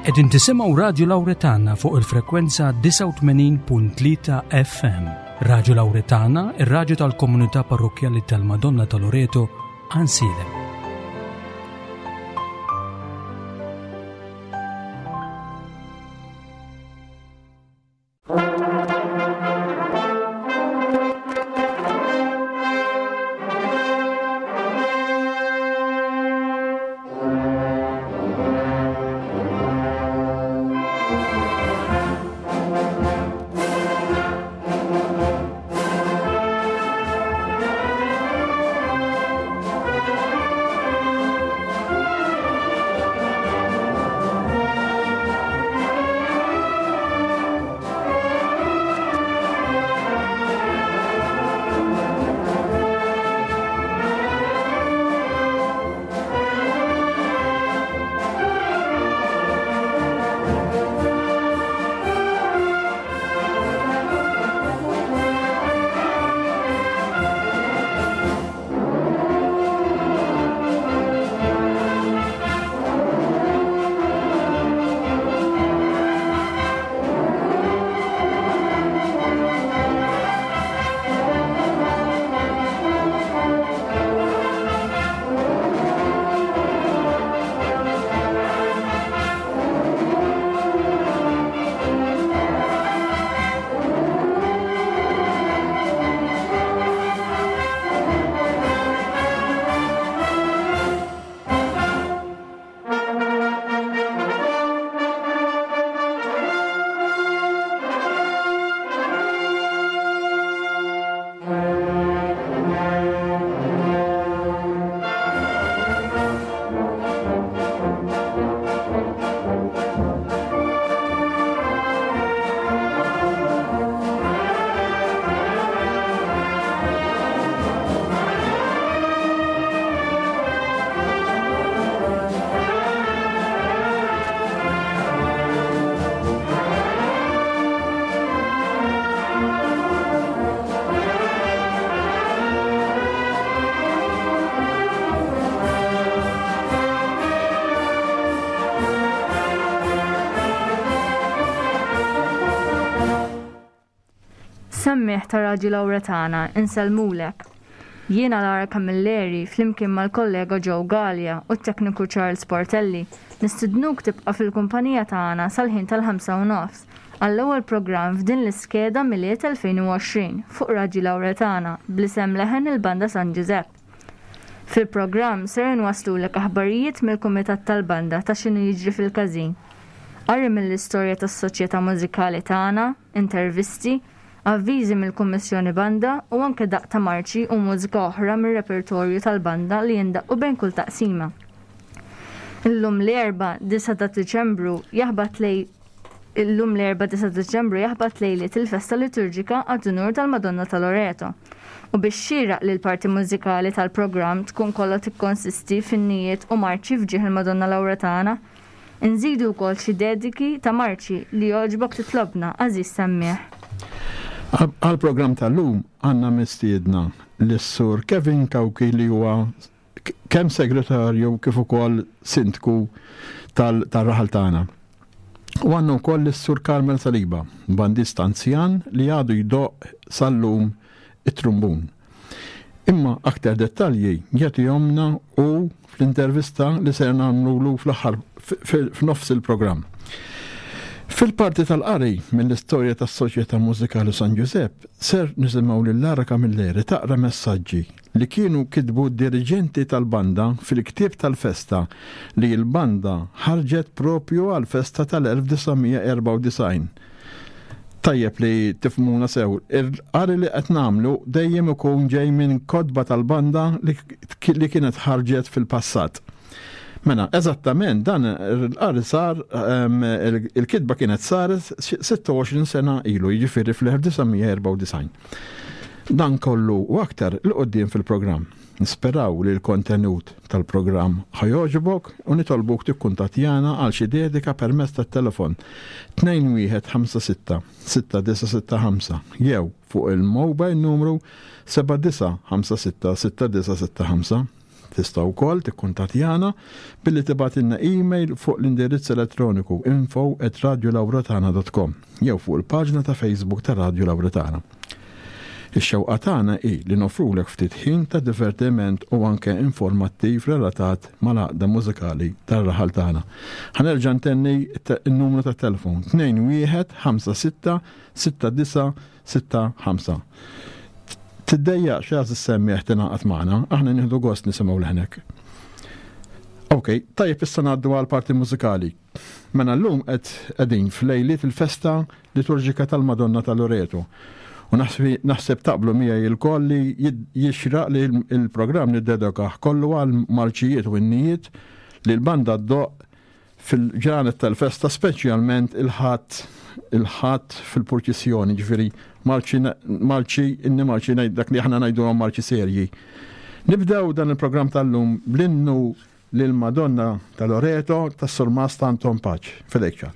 Qegħdin tisimgħu Radju Lawretana fuq il-frekwenza 89.3 FM. Radju Lawretana, ir-radju tal-komunità parrokkjali tal-Madonna ta' Loreto, Ansilem. Semmiegħ ta' Radju Lawretana, insellmulek. Jiena Lara Camilleri flimkien mal-kollega Joe Galea u t-tekniku Charles Portelli nistidnuk tibqa' fil-kumpanija tagħna sal-ħin tal-ħamsa u nofs għall-ewwel programm f'din l-iskeda Milied 2020 fuq Radju Lawretana bl-isem Leħen il-Banda San Ġużepp. Fil-programm ser inwasslulek aħbarijiet mill-Kumitat tal-Banda ta' x'inhu jiġri fil-każin. Qari mill-istorja tas-Soċjetà Mużikali tagħna, intervisti, avviżi mill-Kummissjoni Banda u anke daqq ta' marċi u mużika oħra mir-repertorju tal-banda li jindaqqu bejn kull taqsima. Illum l-Erbgħa, 9 ta' Diċembru, jaħbat lej Illum l-Erbgħa 9 ta' Diċembru jaħbat lejliet il-festa liturġika għad-Unur tal-Madonna ta' Loreto. U biex xieraq li l-parti mużikali tal-programm tkun kollha tikkonsisti f'innijiet u marċi f'ġieħ il-Madonna Lawretana, Inżidu wkoll xi dediki ta' marċi li jogħġbok titlobna, għażiż semmiegħ. Għall-programm tal-lum għandna mistiedna lis-Sur Kevin Cauchi li huwa kemm segretarju kif ukoll sindku tar-raħal tagħna. U għandna wkoll lis-Sur Carmel Saliba, bandist anzjan li għadu jdoqq sal-lum it-trumbun. Imma aktar dettalji jagħtihomlna hu fl-intervista li ser nagħmlulu fl-aħħar f'nofs il-programm. Fil-parti tal-qari mill-istorja tas-Soċjetà Mużikali San Ġużepp ser nisimgħu lil Lara Camilleri taqra messaġġi li kienu kitbu d-diriġenti tal-banda fil-ktieb tal-festa li l-banda ħarġet propju għall-festa tal-1994. Tajjeb li tifhmuna sew, il-qari li qed nagħmlu dejjem ikun ġej minn kotba tal-banda li kienet ħarġet fil-passat. Mela, eżattament dan il-qari sar, il-kitba kienet saret 26 sena ilu, jiġifieri fl-1994. Dan kollu u aktar 'il quddiem fil-programm. Nisperaw li l-kontenut tal-programm ħa jogħġbok u nitolbuk tikkuntattjana għal xi dedika permezz tat-telefon 2156 6965 jew fuq il-mobile numru 7956 6965. Tista' wkoll tikkuntattjana billi tibgħatilna email fuq l-indirizz elettroniku info@radiolawretana.com jew fuq il-paġna ta' Facebook ta' Radio Lawretana. Ix-xewqa tagħna hi li noffrulek ftit ħin ta' divertiment u anke informattiv relatat mal-għaqda mużikali tar-raħal tagħna. Ħa nerġa' ntenni n-numru tat-telefon 2156 69 65. Tiddejjaqx għażiż semmiegħ tingħaqad magħna, aħna nieħdu gost nisimgħu leħnek. Ok, tajjeb issa ngħaddu għal parti mużikali. Mela llum qed qegħdin f'lejliet il-festa liturġika tal-Madonna ta' Loreto. U naħseb taqblu miegħi lkoll li jixraq li l-programm niddedokah kollu għal marċijiet u innijiet li l-banda ddoqq fil-ġranet tal-festa speċjalment il-Ħadd il-Ħadd fil-purċissjoni, ġifieri marċi marċi inni marċi ngħid dak li aħna ngħidulhom marċi serji. Nibdew dan il-programm tal-lum bl-innu lil Madonna ta' Loreto tas-Surmast Anton Paċ. Fidejk ċar.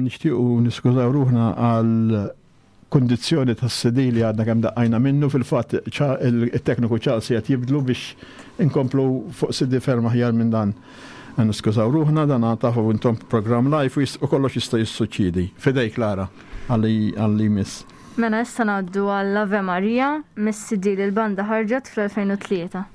Nixtiequ niskużaw ruħna għal kundizzjoni tas-CD li għadna kemm daqqajna minnu fil-fatt it-tekniku Charles qed jibdlu biex inkomplu fuq CD ferm aħjar minn dan. Niskużaw ruħna dan tafu intom programm live u kollox jista' jissuċċiedi. Fidejk Lara għalli jmiss. Mela issa ngħaddu għall Ave Maria mis-CD li l-banda ħarġet fl-2003.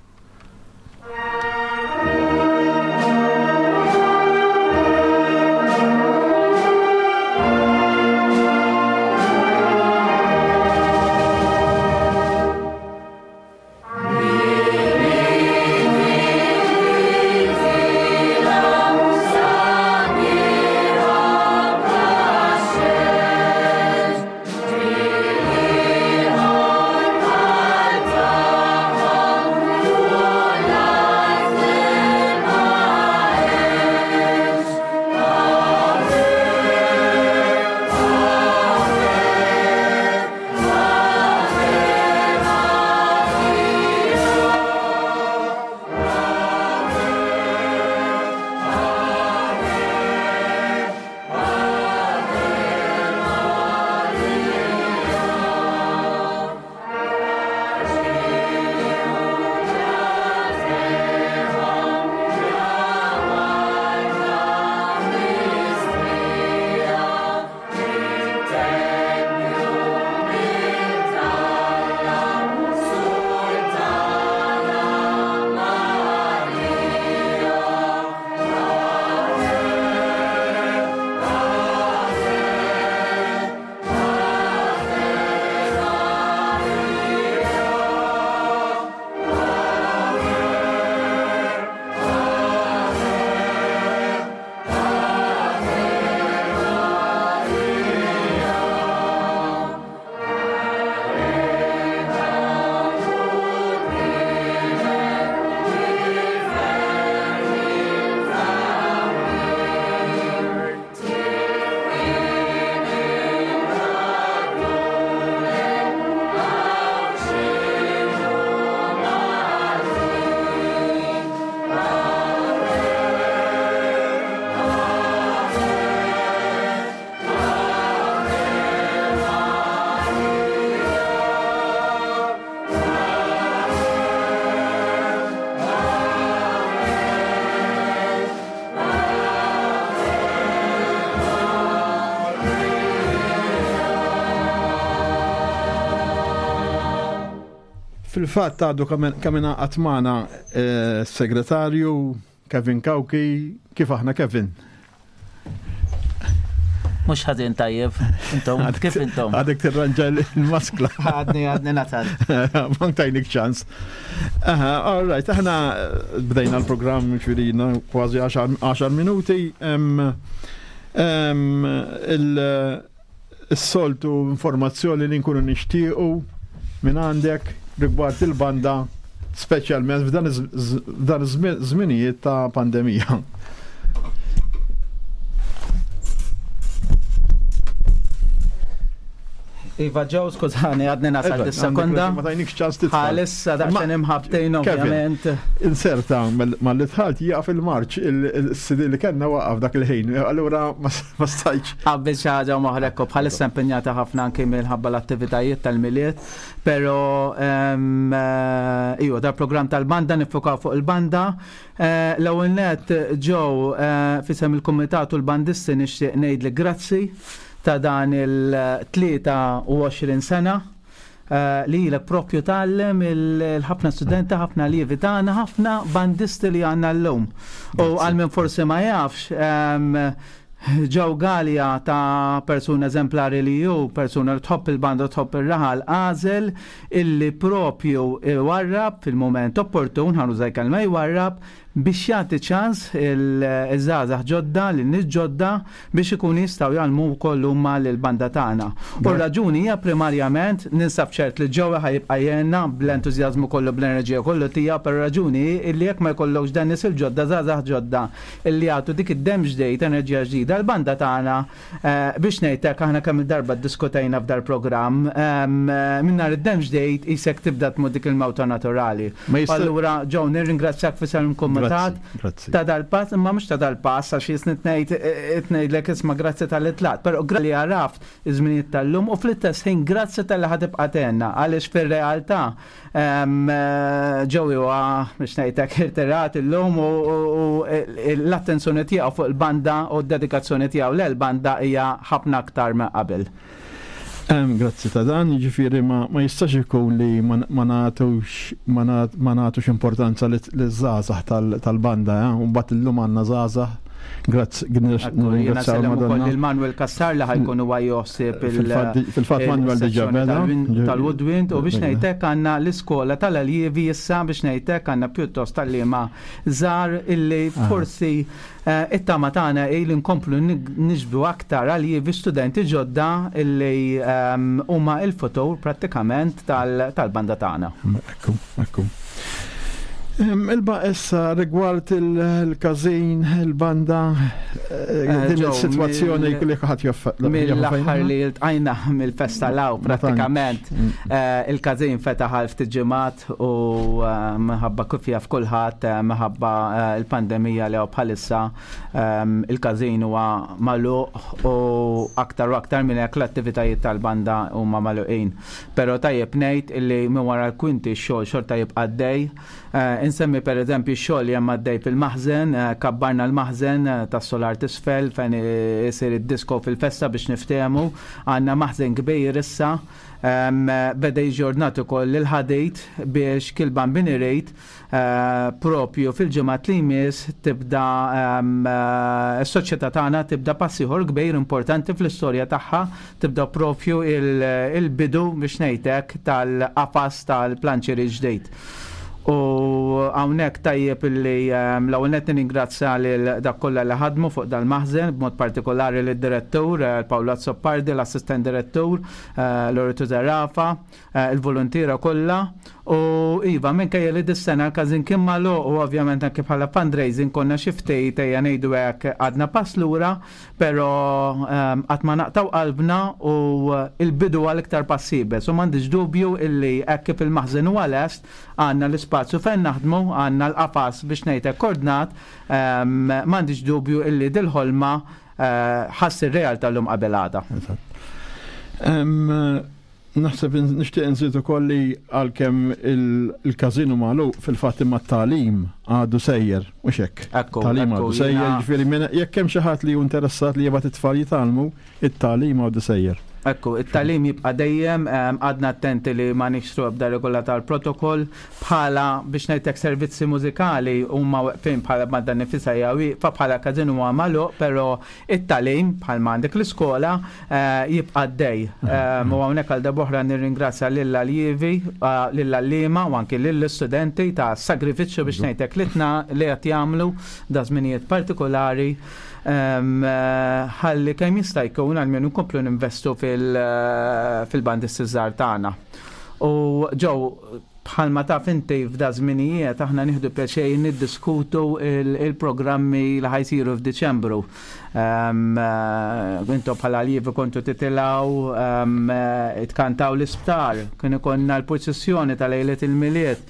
Fil-fatt għadu kemm ingħaqad magħna eh, s-segretarju Kevin Cauchi, kif aħna Kevin? Mux ħadin tajjeb, intom, kif intom? Għadek tirranġa l-maskla. Għadni, għadni natal. Ma tajnik ċans. Aha, all right, aħna eh, bdejna l-programm ċvirina kważi 10 minuti. Il-soltu informazzjoni li nkunu nixtiequ minn għandek rigward il-banda speċjalment f'dan iż-żminijiet ta' pandemija. Iva ġew, skużani, għadni nasal dis-sekonda. Ma tajnikx ċans tidħol. Bħalissa daqsxejn imħabtejn ovvjament. Inserta mal-li dħalt jaqaf il-marċ il-CD li kellna waqaf dak il-ħin. Allura ma stajtx. Qabel xi ħaġa u moħrek bħalissa impenjata ħafna anki minħabba l-attivitajiet tal-Milied. Però eh, iva, dal-programm tal-banda nifukaw fuq il-banda. Eh, l-ewwel net ġew eh, fisem il-kumitat u l-bandisti nixtieq ngħidlek grazzi ta' dan il-23 sena eh, li ilek propju tgħallem il-ħafna studenti, ħafna lievi tagħna, ħafna bandisti li għandna llum. U għal min forsi ma jafx, ehm, Joe Galea ta' persuna eżemplari li hu, persuna li tħobb il-banda u tħobb ir-raħal, għażel illi propju jwarrab fil-mument opportun, ħa nuża l-kelma jwarrab, biex jagħti ċans il-żgħażagħ ġodda, lin-nies ġodda biex ikunu jistgħu jgħallmu wkoll huma lill-banda tagħna. U r-raġuni hija primarjament, ninsab ċert li Joey ħa jibqa' jgħinna bl-entużjażmu kollu, bl-enerġija kollu tiegħu, però r-raġuni hi illi jekk ma jkollokx dan nies il-ġodda, żgħażagħ ġodda illi jagħtu dik id-demm ġdid, enerġija ġdida, l-banda tagħna Biex ngħid hekk aħna kemm il-darba ddiskutejna f'dal-programm, minn nhar id-demm ġdid qisek tibda tmut dik il-mewta naturali. Allura Joe nirringrazzjak f'isem il-kumitat ta' dal-pass, imma mhux ta' dal-pass għax jisni tnejn tgħidlek isma' grazzi talli tlaqt, però grazzi li għaraft iż-żminijiet tal-lum u fl-istess ħin grazzi talli ħa tibqa' tgħinna għaliex fir-realtà Joey huwa biex ngħid hekk irtirat illum u l-attenzjoni tiegħu fuq il-banda u d-dedikazzjoni tiegħu lejn banda hija ħafna aktar minn qabel. Grazzi ta' dan, jiġifieri ma jistax ikun li ma nagħtux ma nagħtux importanza liż-żgħażagħ tal-banda, eh? U mbagħad illum għandna żgħażagħ Grazzi, nirringrazzjaw ukoll lil Manuel Cassar li ħajkun huwa joħsib il- Fil-fatt Manuel diġà beda. Tal-Woodwind u biex ngħidlek għandna l-iskola tal-aljievi issa biex ngħidlek għandna pjuttost tal-liema żgħar illi ah. forsi eh, it-tama tagħna hi li nkomplu niġbdu aktar aljievi studenti ġodda illi ehm, huma il-futur prattikament tal-banda tagħna. Ekku, ekku. Ilba issa rigward il-każin, il-banda, eh, eh, din il-sitwazzjoni li ħadd joffa. Mill-aħħar li ltqajna mill-festa law prattikament mm. eh, il-każin fetaħ għal ftit ġimgħat u minħabba kif jaf kulħadd minħabba il-pandemija li hawn bħalissa il-każin huwa magħluq u aktar u aktar minn hekk l-attivitajiet tal-banda huma magħluqin. Però tajjeb ngħid illi minn wara l-kwinti x-xogħol xorta jibqa' għaddej. Eh, insemmi pereżempju x-xogħol li hemm għaddej fil-maħżen, eh, kabbarna l-maħżen eh, tas-solar t'isfel fejn isir id-disco fil-festa biex niftehmu. Għandna maħżen kbir issa. Ehm, beda jiġi ordnat ukoll il-ħadid biex kull bambin irid Propju fil-ġimgħat li jmiss tibda s-soċjetà tagħna tibda pass ieħor kbir importanti fl-istorja tagħha, tibda propju il-bidu biex ngħid hekk tal-qafas tal-planċieri ġdid. U hawnhekk tajjeb illi l-ewwel nett nirringrazzja lil dak kollha li ħadmu fuq dal-maħżen, b'mod partikolari lid-direttur Paolo Azzopardi, l-assistent direttur Loreto Zerafa, il-voluntiera kollha u iva minkejja li dis-sena l-każin kien magħluq u ovvjament anke bħala fundraising konna xi ftit ejja ngħidu hekk għadna pass lura, però ehm, qatt ma naqtgħu qalbna u l-bidu għal iktar pass iebes u m'għandix dubju illi hekk kif il-maħżen huwa lest għandna l-ispazju fejn naħdmu, għandna l-qafas biex ngħid hekk ordnat, ehm, m'għandix dubju illi dil-ħolma eh, ħa ssir realtà llum qabel għada. Naħseb nixtieq nżid ukoll li għalkemm il-każin hu magħluq fil-fatt imma t-tagħlim għadu sejjer, mhux hekk. Tagħlim għadu sejjer, jiġifieri jekk hemm xi ħadd li hu interessat li jibgħat it-tfal jitgħallmu, it-tagħlim għadu sejjer. Ekku, it-tagħlim jibqa' dejjem, għadna attenti li ma nixtru ebda regola tal-protokoll bħala biex ngħidlek servizzi mużikali huma weqfin bħala banda nifisha hija wieqfa bħala każin huwa magħluq, però it-tagħlim bħalma għandek l-iskola jibqa' għaddej. U hawnhekk għal darb'oħra nirringrazzja lill-aljievi, lill-għalliema u anki lill-istudenti ta' sagrifiċċju biex ngħidlek li li qed jagħmlu da żminijiet partikolari. Ħalli kemm jista' jkun għalmenu nkomplu ninvestu fil-bandisti żgħar tagħna. U ġew bħalma taf inti f'da żminijiet aħna nieħdu pjaċir niddiskutu il-programmi li ħajsiru f'Diċembru. Intom bħala aljivi kontu titilgħu tkantaw l-isptar, kien ikollna l-purċissjoni ta' lejlet il-Milied.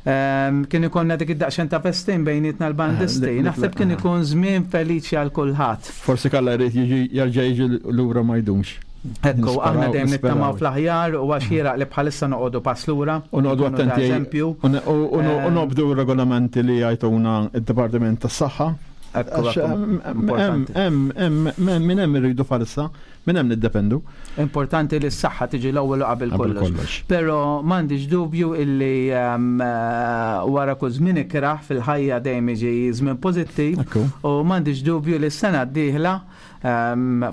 Kien ikollna dik id-daqsxejn ta' festin bejnietna l-bandisti. Naħseb kien ikun żmien feliċi għal kulħadd. Forsi kalla jrid jiġi jerġa' jiġi lura ma jdumx. Ekku, aħna dejjem nittamaw fl-aħjar u għax xieraq li bħalissa noqogħdu pass lura. U noqogħdu attenti. Eżempju. U nobdu r-regolamenti li jgħiduna d-Dipartiment tas-Saħħa. Ekku, importanti. Minn hemm irridu bħalissa. Minn hemm niddependu. Importanti li s-saħħa tiġi l-ewwel u qabel kollox. Però m'għandix dubju illi wara kull żmien ikrah fil-ħajja dejjem jiġi żmien pożittiv u m'għandix dubju li s-sena d-dieħla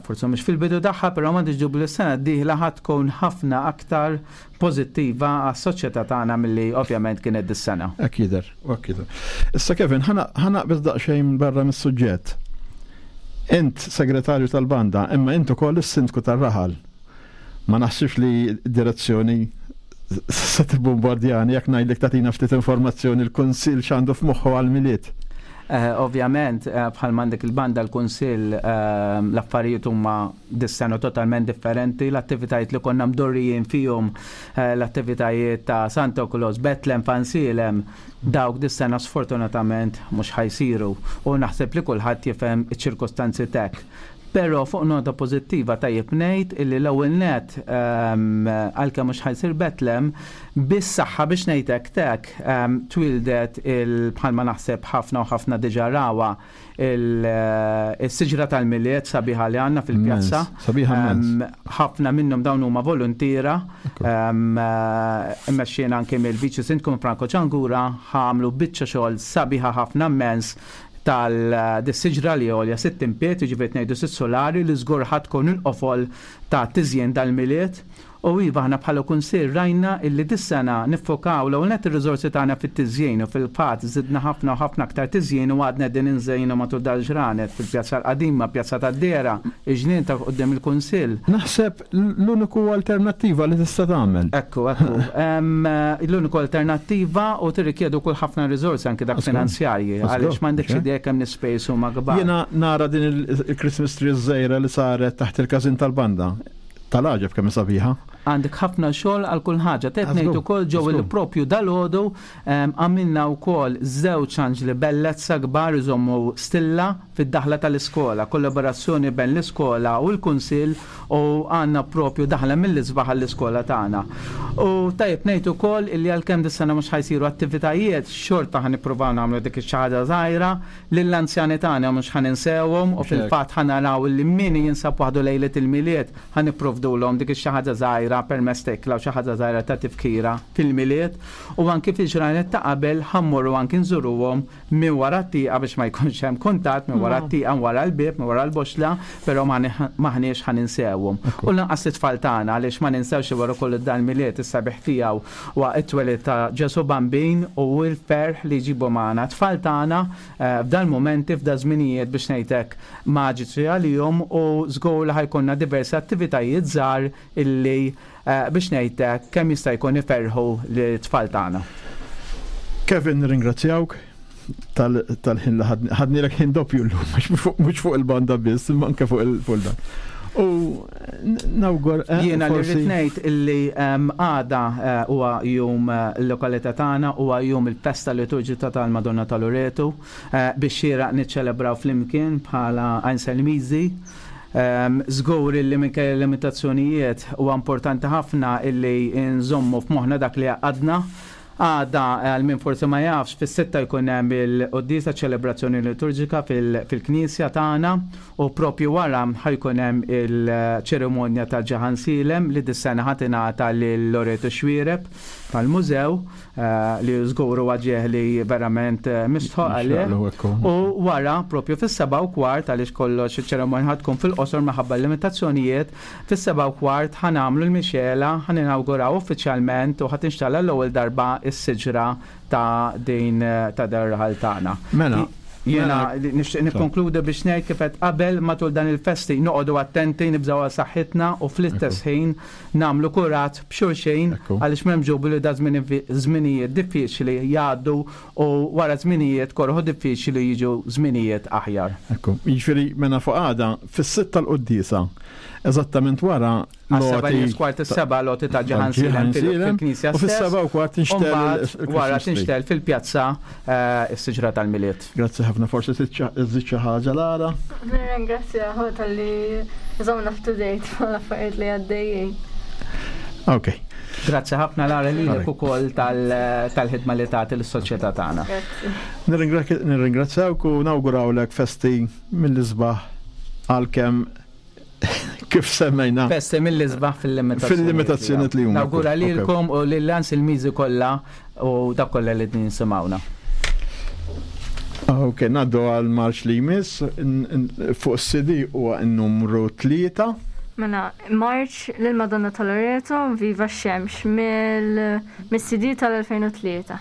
forsi mhux fil-bidu tagħha, però m'għandix dubju li s-sena d-dieħla ħa tkun ħafna aktar pożittiva għas-soċjetà tagħna milli ovvjament kienet dis-sena. Hekk jidher, hekk jidher. Issa Kevin, ħa naqbeż daqsxejn barra mis-suġġett. Int segretarju tal-banda, imma int ukoll is-sindku tar-raħal. Ma naħsibx li d-direzzjoni se tibbombardjani jekk ngħidlek tagħtina ftit informazzjoni l-Kunsill x'għandu f'moħħu għall-Milied. Ovvjament, bħalma għandek il-banda l-Kunsill, l-affarijiet huma dis-sena totalment differenti. L-attivitajiet li konna mdorrijin fihom, l-attivitajiet ta' Santa Claus, Bethlehem, Fansilem, dawk dis-sena sfortunatament mhux ħa jsiru u naħseb li kulħadd jifhem iċ-ċirkustanzi t'hekk. Però fuq nota pożittiva tajjeb ngħid illi l-ewwel nett għalkemm mhux ħa jsir Bethlehem, bis-saħħa biex ngħid hekk t'hekk twieldet il bħalma naħseb ħafna u ħafna diġà rawha il-siġra tal-Milied sabiħa li għandna fil-pjazza. Sabiħa immens. Ħafna minnhom dawn huma voluntiera. Immexxin anke mill-Viċi Sindku Franco Ciangura ħamlu biċċa xogħol sabiħa ħafna immens tal-siġra li għolja 60 pied, jiġifieri ngħidu sitt solari li żgur ħa tkun il-qofol ta' tiżjin dal-Milied. U iva aħna bħala Kunsill rajna illi dis-sena niffokaw l-ewwel nett ir-riżorsi tagħna fit-tiżjin u fil-fatt żidna ħafna u ħafna aktar tiżjin u għadna qegħdin inżejnu matul dal-ġranet fil-Pjazza l-Qadima, Pjazza tad-Dehra, il-ġnien ta' quddiem il-Kunsill. Naħseb l-uniku alternattiva li tista' tagħmel. Ekku, ekku. L-uniku alternattiva u tirrikjedi wkoll ħafna riżorsi anki dak finanzjarji għaliex m'għandekx idea kemm l-ispejjeż huma kbar. Jiena nara din il-Christmas tree ż-żgħira li saret taħt il-każin tal-banda. Tal-għaġeb kemm hi sabiħa. Għandek ħafna xogħol għal kull ħaġa. Tgħid ngħid ukoll ġew li propju dalgħodu għamilna wkoll żewġ anġli bellezza kbar iżommu stilla fid-daħla tal-iskola, kollaborazzjoni bejn l-iskola u l-kunsill u għandna propju daħla mill-isbaħ għall-iskola tagħna. U tajjeb ngħid ukoll illi għalkemm dis-sena mhux ħa jsiru attivitajiet, xorta ħa nippruvaw nagħmlu dik ix-xi ħaġa żgħira Lill-anzjani tagħna mhux ħa ninsewhom u fil-fatt ħa naraw li min jinsab waħdu lejliet il-Milied ħa nipprovdulhom dik ix-xi ħaġa żgħira permezz ta' ikla u xi ħaġa żgħira ta' tifkira fil-Milied u anki fil-ġranet ta' qabel ħa mmorru anki nżuruhom minn wara t-tieqa biex ma jkunx hemm kuntatt minn wara t-tieqa, minn wara l-bieb, minn wara l-boxla, però m'aħniex ħa ninsewhom. U lanqas lit-tfal tagħna għaliex ma ninsewx li wara kollu dal-Milied is-sabiħ tiegħu Huwa t-twelid ta' Ġesù Bambin u l-ferħ li jġibu magħna t-tfal tagħna f'dal-mumenti, f'daż-żminijiet biex ngħid hekk maġiċi għalihom u żgur li ħa jkollna diversi attivitajiet żgħar illi biex ngħid hekk kemm jista' jkun iferrħu lit-tfal tagħna. Kevin nirringrazzjawk tal-ħin li ħadnilek ħin doppju llum, mhux fuq il-banda biss, imma anke fuq il-dan. U nawgur. Eh, Jiena li rrid ngħid illi ehm, għada eh, huwa jum eh, l-lokalità tagħna huwa jum il-festa liturġika tal-Madonna ta' Loreto biex xieraq niċċelebraw flimkien bħala Għajnselmiżi. Ehm, żgur illi minkejja l-limitazzjonijiet huwa importanti ħafna illi nżommu f'moħħna dak li għadna. Għada, għal min forsi ma jafx, fis-sitta jkun hemm il-quddiesa ċelebrazzjoni liturġika fil-knisja tagħna u propju wara ħa jkun hemm il-ċerimonja ta' Ġaħan Silem li dis-sena ħa tingħata lil Loreto Xuereb tal-mużew li żgur huwa ġieħ li verament mistħoq għalih. U wara propju fis-7:15 għaliex kollox iċ-ċerimonja ħa tkun fil-qosor minħabba l-limitazzjonijiet, Fis-7:15 ħa nagħmlu l-mixgħela, ħa ninawguraw uffiċjalment u ħa tinxtala l-ewwel darba s-siġra ta' din ta' dan ir-raħal tagħna. Mela, Jiena nixtieq nikkonkludi biex ngħid kif għedt qabel matul dan il-festi noqogħdu attenti, nibżgħu għal saħħitna u fl-istess ħin nagħmlu kuraġġ b'xulxin għaliex m'hemmx dubju li da żminijiet diffiċli jgħaddu u wara żminijiet koroh u diffiċli jiġu żminijiet aħjar. Ekku, jiġifieri mela fuq għada fis-sitta l-quddiesa Eżattament wara l-għoti. Kwart is-seba l-għoti ta' Ġaħan Silem fil-knisja. U fis-7:15 tinxtel. Wara tinxtel fil-pjazza eh, s-siġra tal-Milied. Grazzi ħafna, forsi tiżżid xi ħaġa Lara. Nirringrazzja tal-li żomna up-to-date mal-affarijiet li għaddejjin. Ok. Grazzi ħafna Lara lilek ukoll tal-ħidma li tagħti lis-soċjetà tagħna. Nirringrazzjawk u nawgurawlek festi mill-isbaħ għalkemm kif semmejna. Festi mill-isbaħ fil-limitazzjoni. Fil-limitazzjoni li huma. Nawgura lilkom u lil il-miżi kollha u dak kollha li din simawna. Ok, naddu għal marċ li jmiss fuq CD huwa n-numru 3. Mela, Marċ lil Madonna ta' Loreto, Viva x-Xemx, mill-CD tal-2003.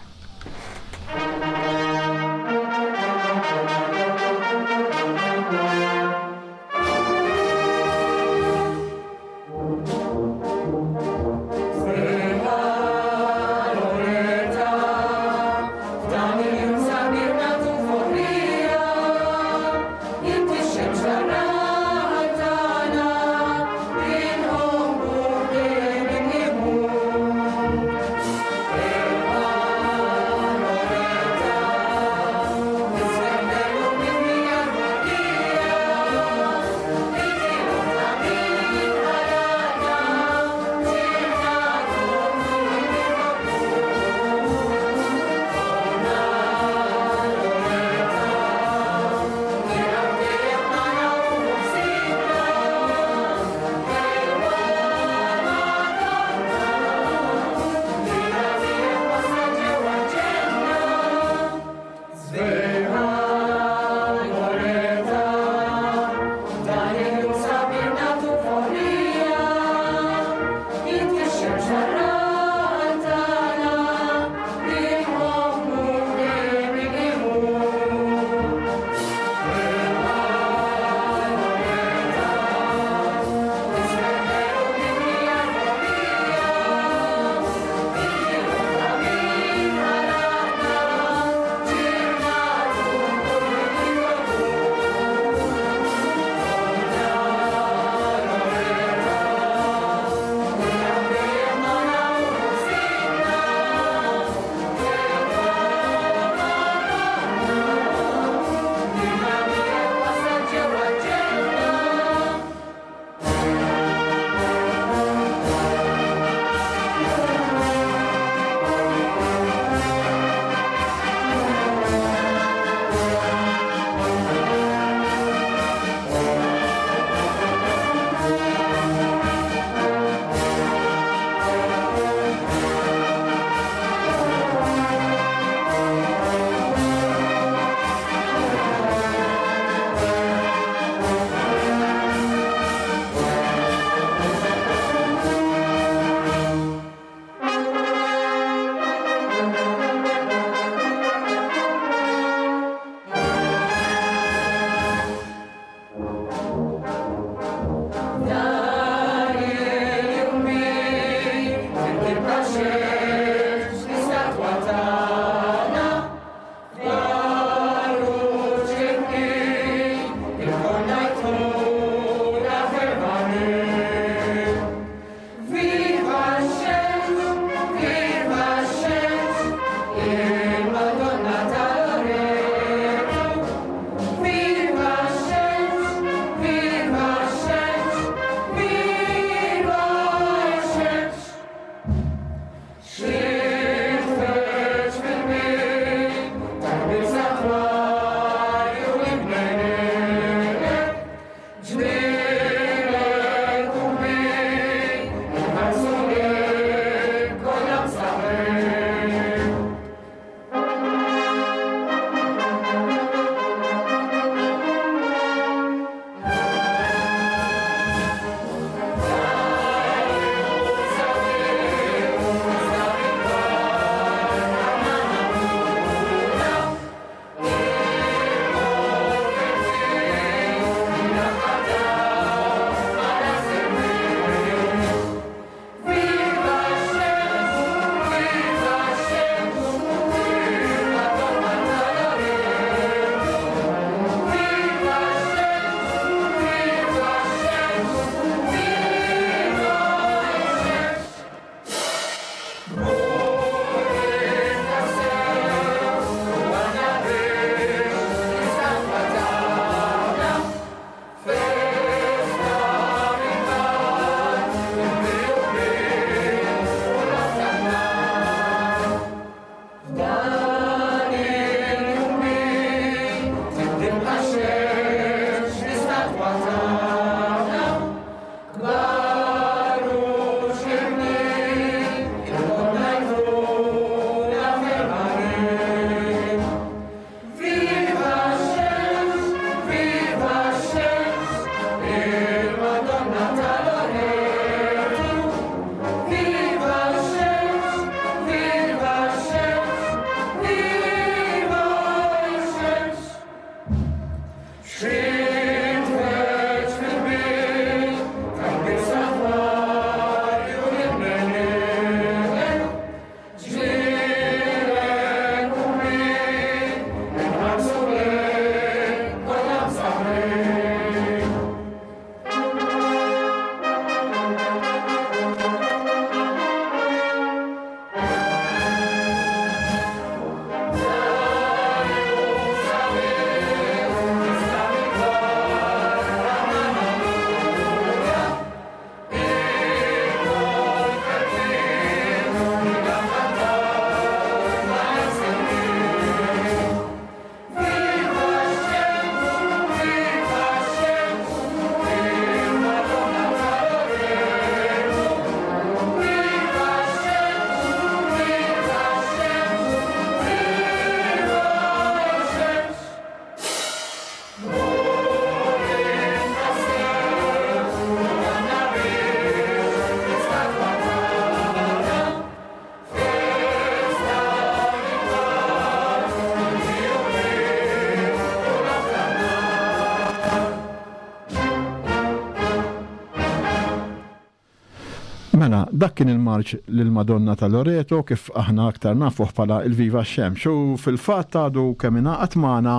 Mela, dak kien il-marċ lill-Madonna ta' Loreto kif aħna aktar nafuh bħala il-Viva x-Xemx u fil-fatt għadu kemm ingħaqad magħna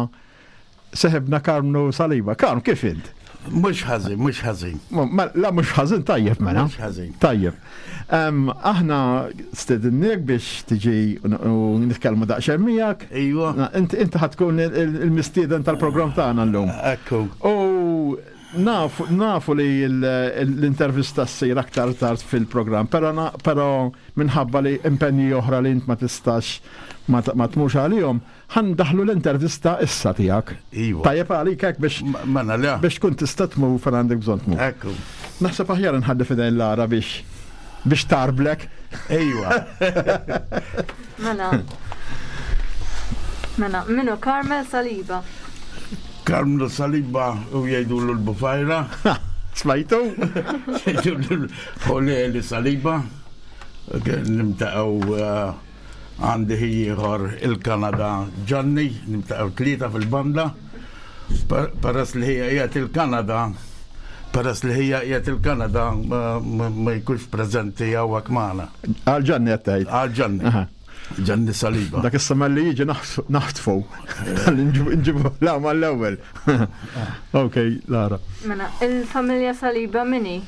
seħibna Karmnu Saliba. Karm, kif int? Mhux ħażin, mhux ħażin. La mhux ħażin tajjeb mela. Mhux ħażin. Tajjeb. Aħna stedinniek biex tiġi u nitkellmu daqsxejn miegħek. Ejwa. Inti ħa tkun il-mistieden tal-programm tagħna llum. Ekku. U nafu, nafu li l-intervista ssir aktar tard fil-programm, però però minħabba li impenji oħra li int ma tistax ma tmurx għalihom, ħa ndaħħlu l-intervista issa tiegħek. Iva. Tajjeb għalik hekk biex Mela le. biex tkun tista' tmur fejn għandek bżonn tmur. Ekku. Naħseb aħjar nħalli f'idejn Lara biex biex tarblek. Ejwa. Mela. Mela, minu Carmel Saliba. Karmnu Saliba u jgħidulu l-Bufajra. Smajtu? Jgħidulu l-Ħoleli Saliba. Nimtaqgħu eh, għandi ieħor il-Kanada Gianni, nimtaqgħu tlieta fil-banda. Peress li hija qiegħed il-Kanada, peress li hija qiegħed il-Kanada ma jkunx preżenti hawnhekk magħna. Għal Gianni qed tgħid. Għal Gianni. Gianni Saliba. Dak is-sema li jiġi naħtfu. Nġibu la mal-ewwel. Ok, Lara. Mela, il-familja Saliba mini?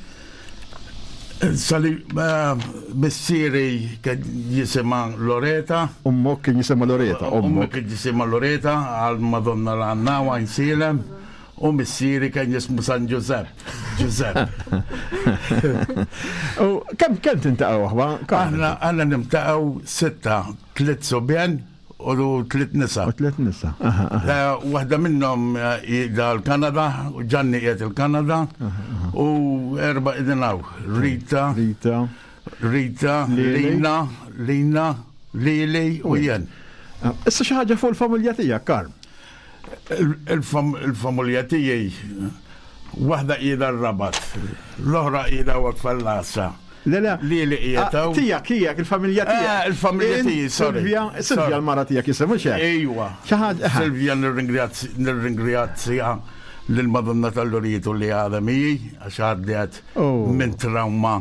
Saliba missieri kien jisimha Loreta. Ummok kien jisimha Loreta. Ummok kien jisimha Loreta għal Madonna l-Għanna Għajnsielem. U missieri kien jismu San Ġużepp. Ġużepp. U kemm kemm tintaqgħu aħwa? Aħna aħna nimtaqgħu sitta, tliet subien u tliet nisa. U tliet nisa. Eh, waħda minnhom eh, qiegħda l-Kanada, u Ġanni qiegħed il-Kanada, u erba' qegħdin hawn. Rita, Rita, Rita, Lina, Lina, Lili u jien. Ah, issa xi ħaġa fuq il-familja tiegħek, Karm. Il-familja tiegħi waħda qiegħda r-Rabat, l-oħra qiegħda hawnhekk fil-Lassa. Le, le. Li li qiegħed hawn. Ah, tiegħek, tiegħek, il-familja eh, tiegħek. Il-familja tiegħi, sorry. Silvia, Silvia l-mara tiegħek jisem, mhux hekk? Ejwa. Xi ħaġa. Eh. Silvia nirringrazzja lill-Madonna tal-Luritu li għadha miegħi għax għaddiet oh. minn trauma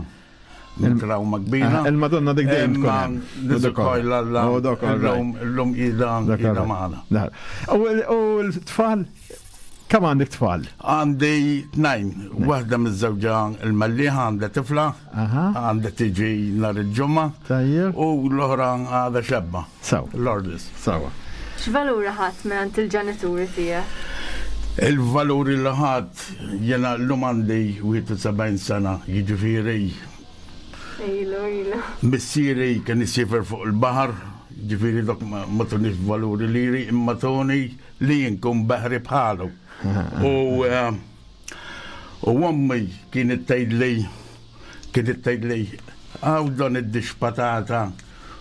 minn trauma kbira. Eh, Il-Madonna dik dejjem tkun hemm. Niżukoj l-Alla. Oh, Illum qiegħda magħna. U l-tfal? Kemm għandek tfal? Għandi tnajn, waħda miż-żewġa il-Mellieħa għandha tifla, għandha tiġi nhar il-ġimgħa. Tajjeb. U l-oħra għadha xebba. Sawa. Lordis. Sawa. X'valuri ħadt mingħand il-ġenituri tiegħek? Il-valuri li ħadt jiena llum għandi 71 sena, jiġifieri Ilu, ilu. Missieri kien isiefer fuq il-baħar, ġifieri dok ma tunix valuri liri, imma tuni li jinkun baħri bħalu. U eh, u ommi kienet tgħidli kienet tgħidli għaw dan id-dix patata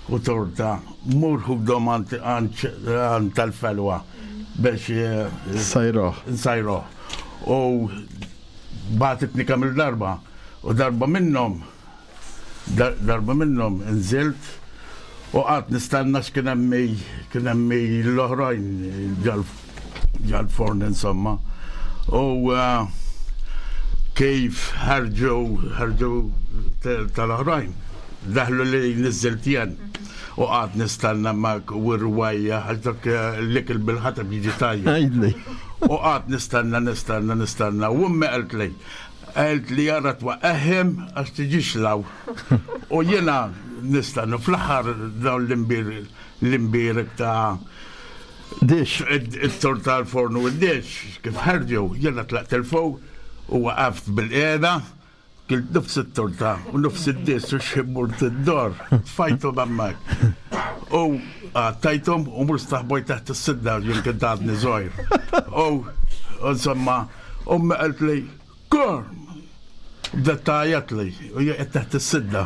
u torta mur ħudhom għand tal-felwa biex eh, Sajroh. nsajroh. U bagħtitni kemm il-darba u darba minnhom darba minnhom nżilt u qatt nistenna x'kien hemm kien hemm l-oħrajn ġal-forn insomma. U eh, kif ħarġu ħarġu tal-oħrajn daħlu li niżilt jien u qatt nistenna ma u rwajja għax dak eh, l-ikel bil-ħatab jiġi tajjeb. Għidli. U qatt nistenna nistenna nistenna u ummi qalt li qalt li jara twaqqahim għax tiġix law. U jiena nistenna fl-aħħar dawn l-imbir l-imbirek ta' Dix. it-torta l-forn u d-dix kif ħarġu jiena tlaqt il-fuq u waqaft bil-qiegħda kilt nofs it-torta u nofs id-dis u x'immurt id-dor tfajthom hemmhekk. U tajthom u mur staħboj taħt is-sidda jien kien għadni żgħir. U insomma, ummi qalt li Korm! Bdet tgħajjat li u jien qed taħt is-sidda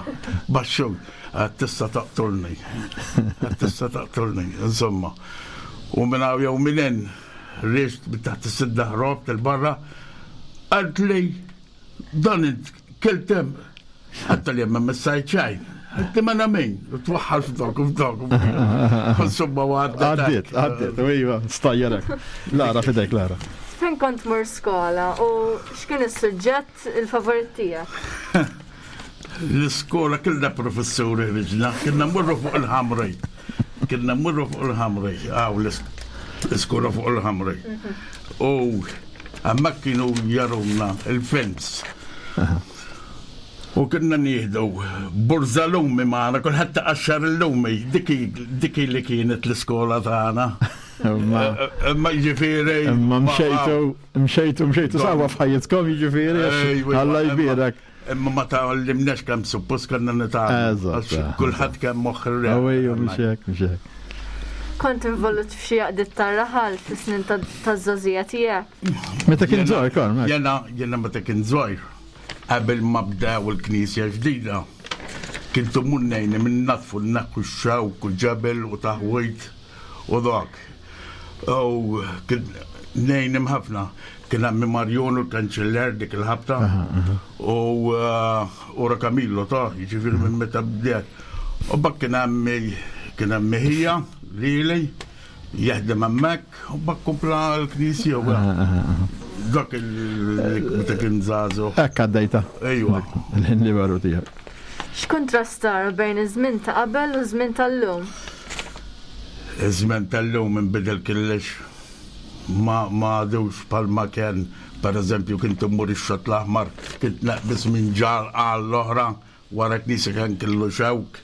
baxxu għad tista' taqtulni. Għad tista' taqtulni, insomma. U minn hawn jew minn hemm rixt minn taħt is-sidda ħrobt il-barra qalt li dan int kiltem Għatta li jemma messajt xejn. Għatti ma namin, twaħħal f'dok u f'dok. Insomma, għadda. Għaddiet, għaddiet, u iva, stajjarek. Lara, fidejk, Lara. Fejn kont mur skola u x'kien is-suġġett il-favorit tiegħek? L-iskola kellna professuri riġna, kienna mmorru fuq il-ħamri. Kienna mmorru fuq il-ħamri, għaw l-iskola fuq il-ħamri. U hemmhekk kienu jaruna il-films. U kienna nieħdu burza lumi magħna, kulħadd taqaxxar il-lumi, dik li kienet l-iskola tagħna. Imma jiġifieri. Imma mxejtu, mxejtu, mxejtu sawa f'ħajjitkom jiġifieri. Alla jbierek. Imma ma tgħallimniex kemm suppost kellna nitgħallmu. Kulħadd kemm moħħ ir-re. Ejju, mhux hekk, mhux hekk. Kont involut f'xi għaqdiet tar-raħal fis-snin taż-żgħożija tiegħek? Meta kien żgħir, Karm. Jiena, jiena meta kien żgħir. Qabel ma bdew il-knisja ġdida, kien immur ngħinhom innaddfu nneħħu x-xewk u ġebel u taħwid u dak. U kien ngħinhom ħafna. Kien għammi Marjon u l-kanċiller dik il-ħabta u ura Camillo ta' jiġifieri minn meta bdiet. U bak kien għammi kien għammi ħija lili Jaħdem hemmhekk u bak kompla l-knisja u dak il-meta kien żagħżugħ. Hekk għaddejta. Ejwa. Il-ħin liberu tiegħek. X'kuntrast tara bejn iż-żmien ta' qabel u ż-żmien tal-lum? Iż-żmien tal-lum inbidel kollox. Ma għadux bħalma kien, pereżempju, kint immur ix-Xatt l-Aħmar, kint naqbeż minn ġar għall-oħra, Wara knisja kien kellu xewk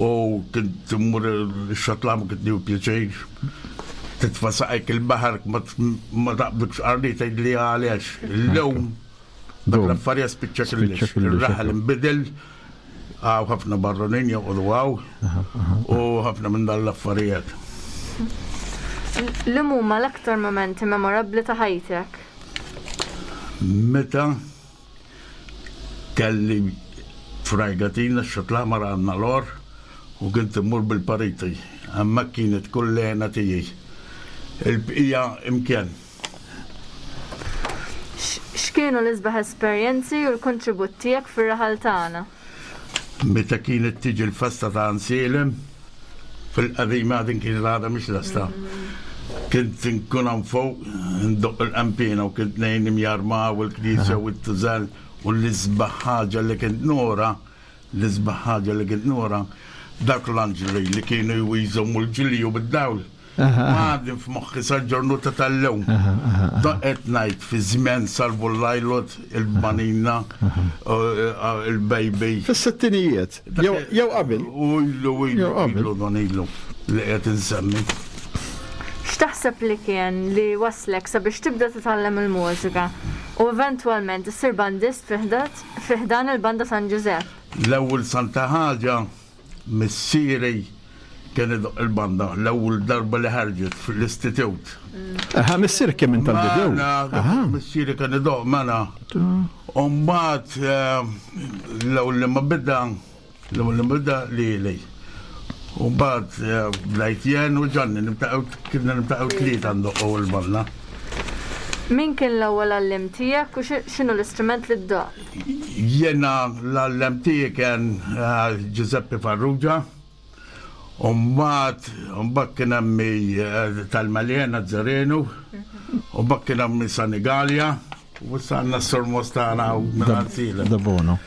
u kint immur ix-xatlam kint nieħu pjaċir. Titfa' saqajk il-baħar ma taqbdukx qarni tgħid li għaliex. Illum dak l-affarija spiċċa kollox. Ir-raħal inbidel hawn ħafna barranin joqogħdu hawn u ħafna minn dan l-affarijiet. Liema huma l-aktar mumenti memorabbli ta' ħajtek? Meta Kelli frajgatina x-Xatt l-Aħmar għandna l-għor u kont immur bil-pariti. Hemmhekk kienet kull l-hena tiegħi. Il-bqija imkien. X'kienu l-isbaħ esperjenzi u l-kontribut tiegħek fir-raħal tagħna? Meta kienet tiġi l-festa ta' Ansielem, fil-qadima din kienet għadha mhix lesta. Kint inkun hawn fuq, ndoqq il-qanpiena u kint ngħinhom jarmaw il-knisja u t-tużell u l-isbaħ ħaġa li kint nura, l-isbaħ ħaġa li kint nura, dawk l-anġli li kienu jżommu l-ġilju bid-dawl. Għadni f'moħħi sal-ġornuta tal-lum. Da qed ngħid fi żmien Salvu l-Lajlot, il-Banina, il-Baby. Fis-sittinijiet, jew qabel. U ilu, ilu, ilu, don ilu li qed insemmi. X'taħseb li kien li waslek sabiex tibda titgħallem il-mużika u eventwalment issir bandist fi ħdan il-Banda San Ġużepp? L-ewwel santa ħaġa Missieri kien idoqq il-banda l-ewwel darba li ħarġet fl-istitut. Aha, missierek kien minn tal-bidu. Mela, missieri kien idoqq mela. U mbagħad eh, l-ewwel li ma bida, l-ewwel li ma bida lili. U mbagħad eh, bdejt jien u Ġanni nibtaqgħu kienna nibtaqgħu tlieta ndoqqu l-banda. Min kien l-ewwel għalliem tiegħek u x'inhu l-istrument li ddoqq? Jiena l-għallem tiegħi kien eh, Giuseppe Farrugia. U mbagħad mbagħad kien hemm eh, tal-Malena Zarenu, u mbagħad kien hemm Sanigalia, u issa għandna s-Sur tagħna u minn Da Bono.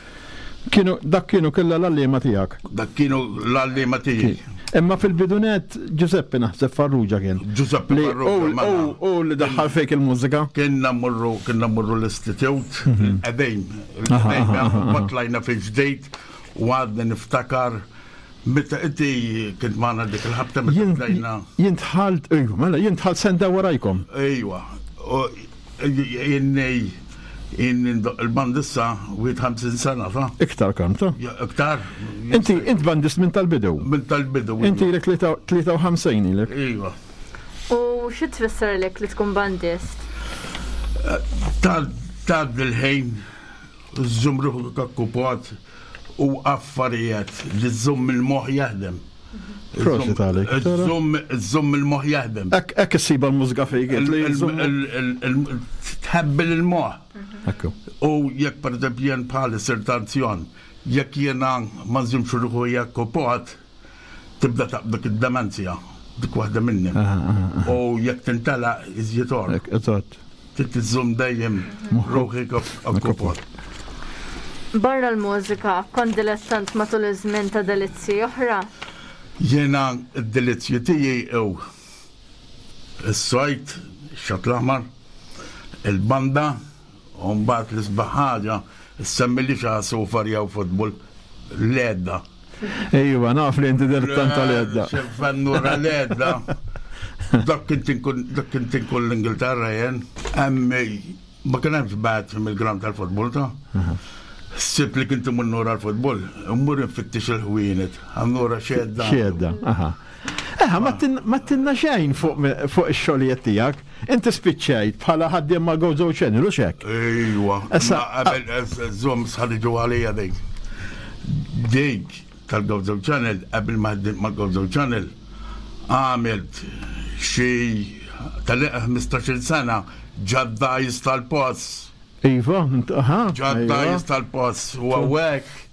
Kienu dak kienu kollha l-għalliema tiegħek. Dak kienu l-għalliema tiegħi. Imma fil-bidunet Giuseppe naħseb Farrugia kien. Giuseppe Farrugia. Mela. U li daħħal fejk il-mużika. Kienna mmorru kienna mmorru l-istitut, mhm. qegħdin. Tlajna fil-ġdejt u għadni niftakar Meta inti kint magħna dik il-ħabta meta tlajna. Jien dħalt, ejwa, mela jien dħalt senta warajkom. Ejwa. Inni Inni ndoqq il-bandissa 51 sena ta'. Iktar kemm ta'? Iktar. Inti int bandist minn tal-bidu. Minn tal-bidu. Inti ilek 53 ilek. Iva. U xi tfisser lek li tkun bandist? Tgħaddi l-ħin, żżomm ruħek akkupat u affarijiet li żżomm il-moħħ jaħdem. Prosit għalik. Żomm il-moħ jaħdem. Ek issiba l-mużika fejk. Tħabbil il-moħ. U jekk per eżempju jien bħali sirt anzjan, jekk jiena ma nżimx ruħu jekk tibda taqbdek id-demenzja, dik waħda minni. U jekk tintela iżjed or. Eżatt. Trid iżżomm dejjem ruħek okkupat. Barra l-mużika, kont dilettant matul iż-żmien ta' delizzji oħra? Jiena d-delizzji tiegħi hu s-sajd, ix-xatt l-aħmar, il-banda, u mbagħad l-isbaħ ħaġa, issemmilix għasufar jew futbol, l-għedda. Ejwa, naf li inti dilettant tal-għedda. X'fennura l-għedda. Dak kint inkun dak kint inkun l-Ingilterra jien. Hemm ma kien hemmx bat mill-ground tal-futbol ta'. Ssib li kint imur nura l-futbol, immur infittix il-ħwienet, nura xedda. Xedda, aha. Eħa, ma tinna xejn fuq ix-xogħlijiet tiegħek. Inti spiċċajt bħala ħaddiem ma' Gozo Channel u xek. Ejwa. Issa qabel żomm sħarġu għalija dik. Dik tal-Gozo Channel qabel ma ħdimt ma' Gozo Channel għamilt xi tal-15 sena ġaddajs tal-post. Iva, aha. Ġaddajs tal-post u hawnhekk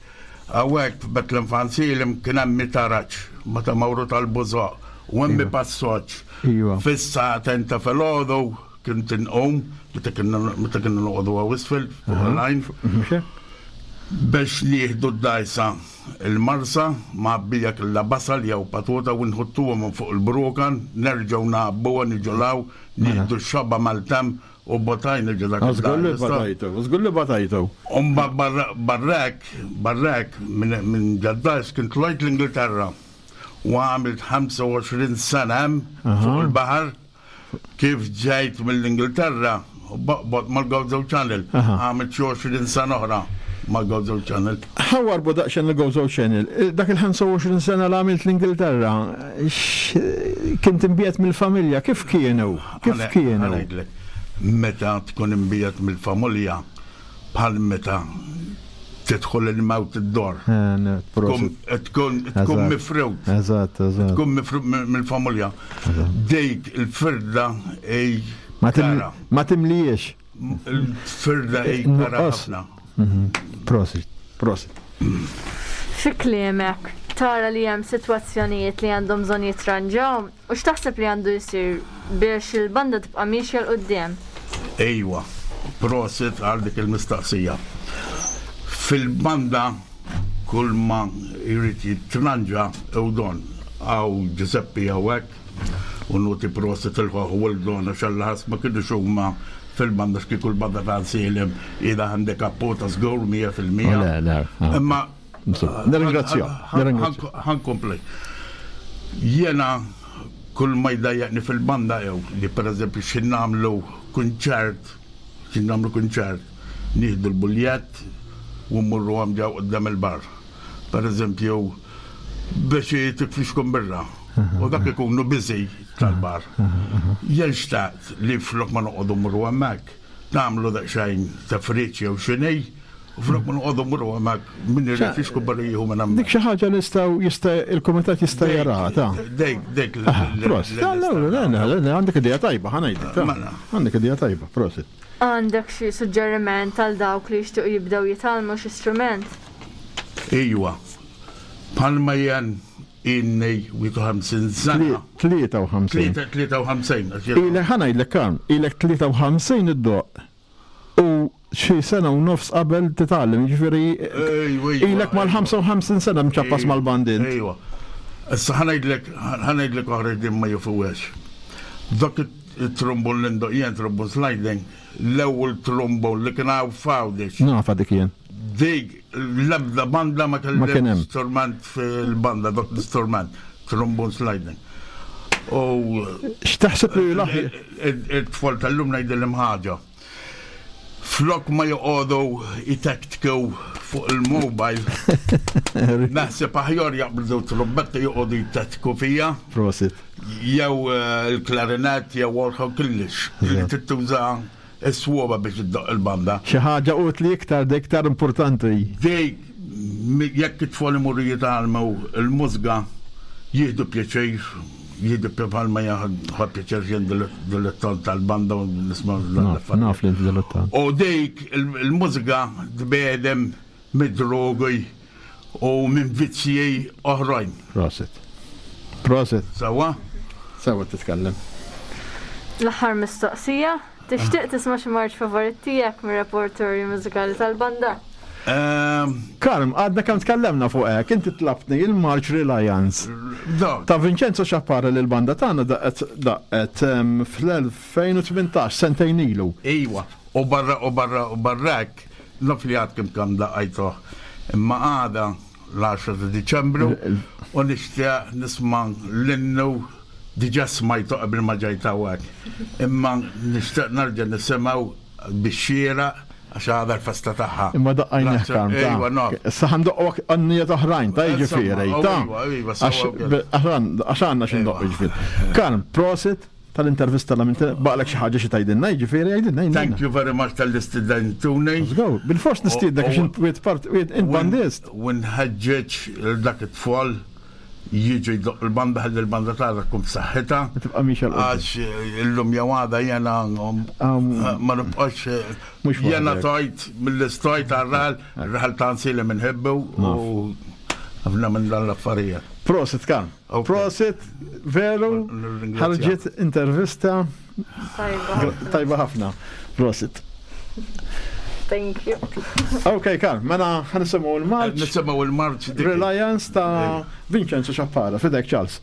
hawnhekk f'Bethlehem Fansilim kien hemm taraġ meta mawru tal-Bużoq u hemm passoġġ. Iva. Fis-sagħtejn ta' filgħodu kont inqum meta kienna meta kienna noqogħdu hawn isfel fuq il-għajn biex nieħdu d-dgħajsa il-marsa mgħabbija kollha basal jew patota u nħuttuha minn fuq il-brukan, nerġgħu ngħabbuha niġu 'l hawn, nieħdu x-xaba mal-temp u botajna ġo dak Żgur li batajtu, żgur li batajtu. U mbagħad barra hekk, barra hekk minn ġad-dgħajs kien tlajt l-Ingilterra u għamilt 25 sena hemm fuq il-baħar. Kif ġejt mill-Ingilterra, baqbot mal-Gozo Channel, għamilt xi 20 sena oħra mal-Gozo Channel. Ħa warbu daqsxejn il-Gozo Channel. Dak il-25 sena li għamilt l-Ingilterra, kint imbiegħed mill-familja, kif kienu? Kif kienu? Ngħidlek, meta tkun imbiegħed mill-familja, bħal meta tidħol il-mewt id-dor. Tkun tkun mifrut. Eżatt, eżatt. Tkun mifrut mill-familja. Dik il-firda ej. Ma timlijiex. Il-firda ej kara ħafna. Mhm. Prosit, prosit. Fi kliemek, tara li hemm sitwazzjonijiet li għandhom bżonn jitranġaw U x'taħseb li għandu jsir biex il-banda tibqa' miexja 'l quddiem? Ejwa, prosit għal dik il-mistaqsija. Fil-banda kull ma jrid jitranġa hu Don. Hawn Ġużeppi hawnhekk. U nuti prosit il-ħoħ u l-dona xallaħas ma kienu huma fil-banda x'kieku l-banda ta' Silim ida għandek appota żgur 100%. Le, le. Ah. Imma Nirringrazzja. Ħankompli. Jena kull ma jdajjaqni fil-banda jew li pereżempju xi nagħmlu kunċert, xi nagħmlu kunċert, nieħdu l-buljett u mmorru għam ġew quddiem il-bar. Pereżempju biex tikfixkom birra. U dak ikunu busy tal-bar. Jien xtaqt li flok ma noqogħdu mmorru hemmhekk, nagħmlu daqsxejn tafriċ jew xini, u flok ma noqogħdu mmorru hemmhekk min irid jixku barra jieħu minn hemmhekk. Dik xi ħaġa nistgħu jista' il-kumitat jista' jaraha ta'. Dik dik. Prosit. Għandek idea tajba, ħa ngħidlek. Mela. Għandek idea tajba, prosit. Għandek xi suġġeriment għal dawk li jixtiequ jibdew jitgħallmu xi strument? Ejwa. Bħalma jien inni 51 sena. 53. 53. Ilek ħa ngħidlek Karm, ilek 53 iddoqq u xi sena u nofs qabel titgħallem, jiġifieri ilek mal-55 sena mċappas mal-band int. Ejwa. Issa ħa ngħidlek, ħa ngħidlek oħra din ma jafuhiex. Dak it-trombon li ndoqq jien, trombon sliding, l-ewwel trombon li kien hawn f'Għawdex. Nafha dik jien. Dik l-ebda banda ma kellha strument fil-banda, dak l-istrument, trombon sliding. U x'taħseb li l-aħjar? It-tfal tal-lum ngħidilhom ħaġa. Flok ma joqogħdu jtektkew fuq il-mobile, naħseb aħjar jaqbdu trumbetta joqogħdu jtektku fija. Prosit. Jew eh, il-klarinet jew orħu kullix. Li tittuża is-swaba biex iddoqq il-banda. Xi ħaġa utli iktar, dik iktar importanti. Dik jekk it-tfal imorru jitgħallmu l-mużika jieħdu pjaċir, jieħdu bħalma ħa pjaċir jien dilettant tal-banda u nisma' l-affarijiet. Naf li inti dilettant. U dik il-mużika tbegħdem mid-drogi u minn vizzji oħrajn. Prosit. Prosit. Sewwa? Sewwa titkellem. L-aħħar mistoqsija, tixtieq tisma' xi marċ favorit tiegħek mir-repertorju mużikali tal-banda? Ehm, Karm, għadna kemm tkellemna fuq hekk, inti tlabtni il-March Reliance ta' Vincenzo Xappara li l-banda tagħna daqqet daqqet ehm, fl-2018, sentejn ilu. Iwa, u barra u barra u barra hekk, Naf li għadkem kemm daqqajtuh, imma għada l-10 ta' Diċembru u nixtieq nisma' l-innu diġà smajtu qabel ma ġejt hawnhekk. Imma nixtieq nerġa' nisimgħu bix-xieraq għax għada l-festa tagħha. Imma daqqajnieh Karm ta. Ejwa naf. Issa ħa ndoqqu għannijiet oħrajn ta' jiġifieri ta'. Għax għandna xi ndoqqu jiġifieri. Karm, prosit. Tal-intervista la minn baqlek xi ħaġa xi tgħidilna, jiġifieri għidilna. Thank you very much tal-istidentuni. Let's go. Bil-fors nistiednek għax int wieħed part wieħed int bandist. U nħeġġeġ lil dak it-tfal jiġu jdoq il-banda ħalli l-banda tagħna tkun b'saħħitha. Tibqa' mixja 'l Għax illum jew għada jiena ma nibqax jiena tajt mill-istajt għar-raħal, ir-raħal ta' Nsili minħibbu u ħafna minn dan l-affarijiet. Prosit kan. Prosit, veru, ħarġet intervista tajba ħafna. Prosit. Thank you. Ok, Karl, mela ħanisimaw il-marċ. Nisimaw il-marċ. Reliance ta' Vincenzo Xappara, fidek Charles.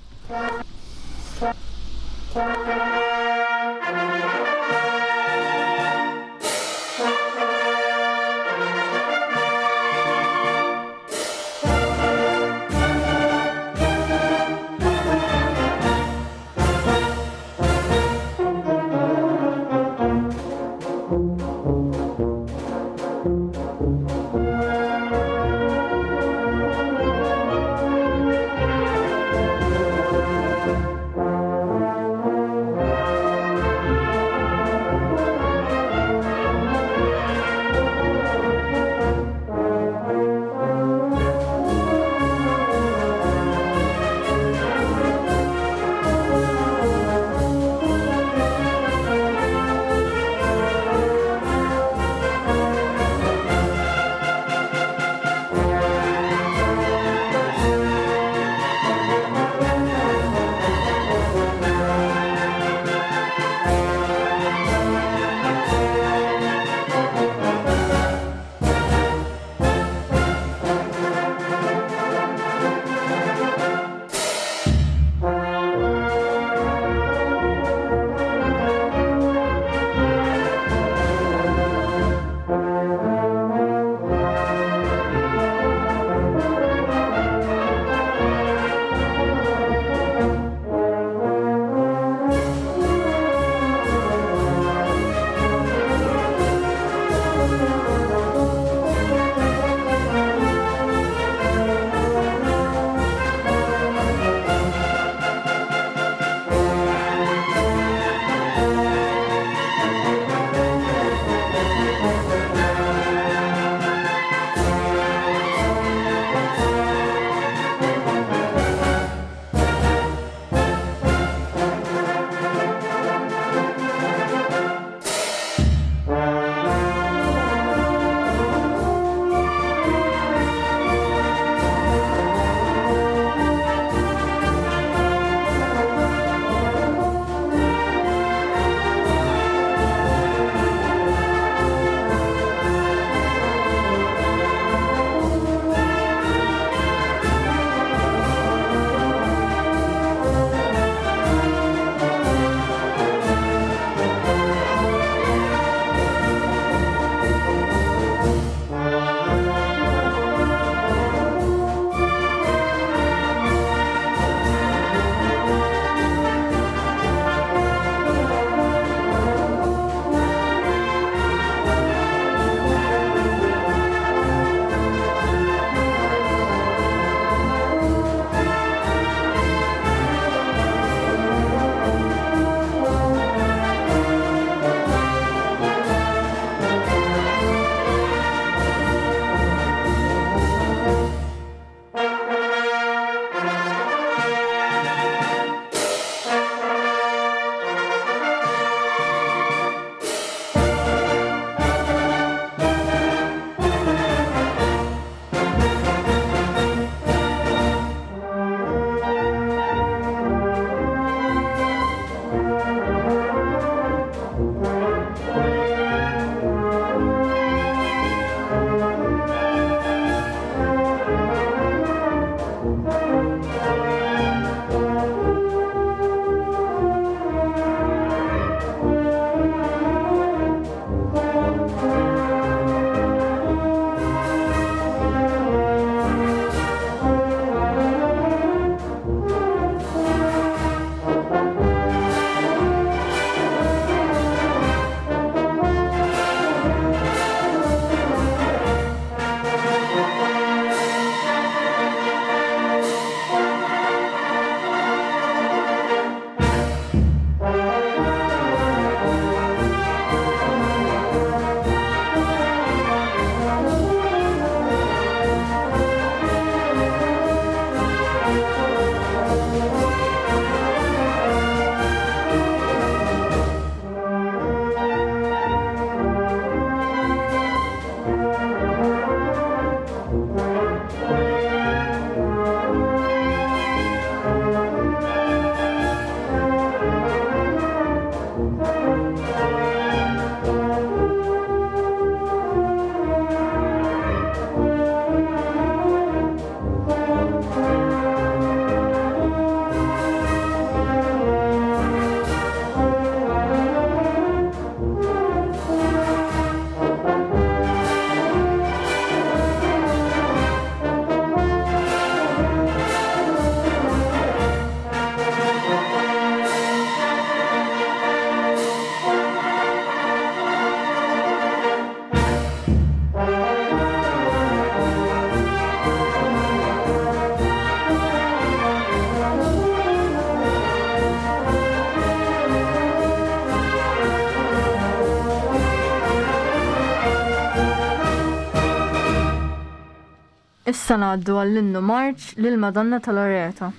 Issa ngħaddu għall-innu marċ lil Madonna ta' Loreto.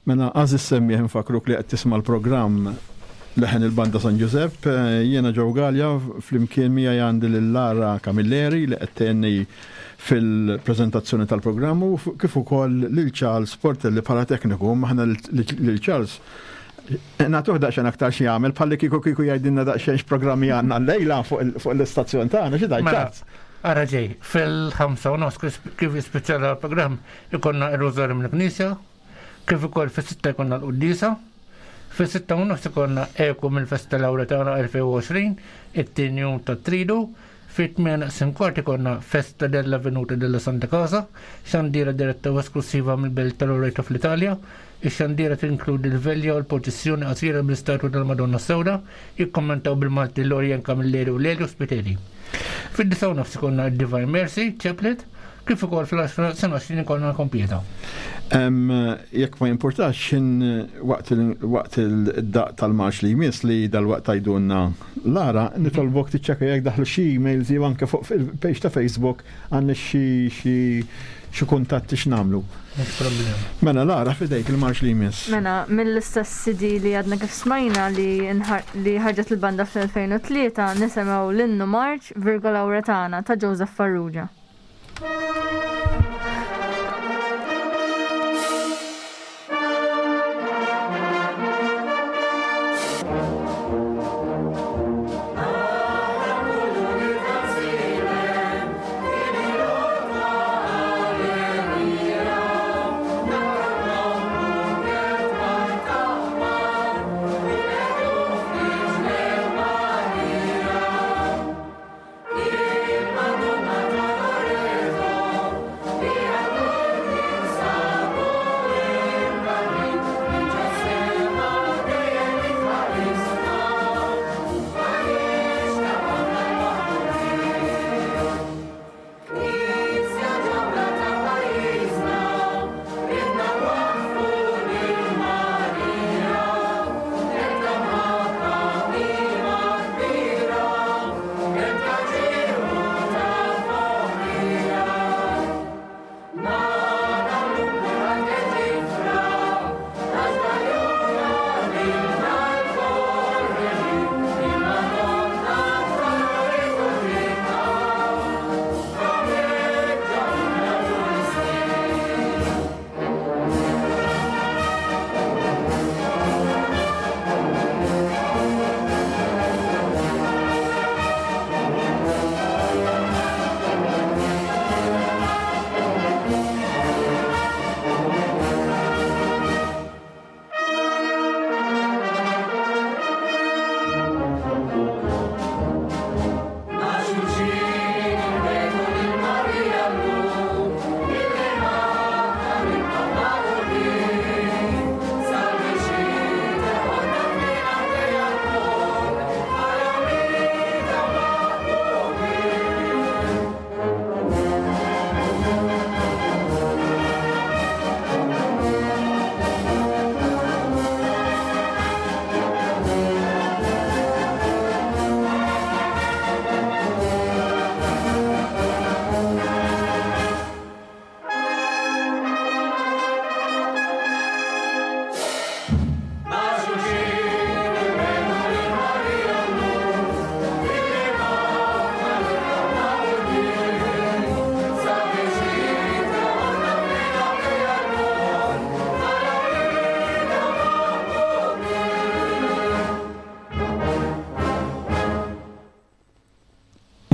Mela, għażiż semmiegħ infakruk li qed tisma' l-programm Leħen il-Banda San Ġużepp. Jiena Joe Galea, flimkien miegħi għandi lil Lara Camilleri li qed tgħinni fil-preżentazzjoni tal-programm u kif ukoll lil Charles Portelli bħala tekniku. Aħna lil Charles nagħtuh daqsxejn aktar xi jagħmel bħalli kieku kieku jgħidilna daqsxejn x'programmi għandna llejla fuq l-istazzjon tagħna xi tgħid Mela, Charles? Ara ġej, fil-5 u nofs kif jispiċċa l-programm ikonna ir-rużarju mill-Knisja, kif ukoll fis-sitta jkollna l-quddiesa. Fis-sitta u nofs ikollna eku mill-Festa Lauretana 2020, it-tieni jum tat-Tridu. Fit-tmienja naqsin kwart ikollna Festa della Venuta della Santa Casa, xandira diretta u esklussiva mill-Belt ta' Loreto fl-Italja. Ix-xandira tinkludi l-velja u l-purċissjoni qasira bl-istatwa tal-Madonna s-Sewda, jikkommentaw bil-Malti Lorien Camilleri u Lelio Spiteri. Fid-disgħa u nofs ikollna d-Divine Mercy Chaplet, Kif ukoll fl-10 sena 20 ikollna l-kompieta. Jekk ma jimpurtax xin waqt il-daq tal-marx li jmiss li dal-waqt tajdunna Lara, nitolbok tiċċekka jekk daħlu xi emails jew anke fuq il-page ta' Facebook għandna xi xi kuntatti x'nagħmlu. Mela Lara fidejk il-marx li jmiss. Mela mill-istess CD li għadna kif smajna li li ħarġet il-banda fl-2003 nisimgħu l-innu marx Virgo Lauretana ta' Joseph Farrugia.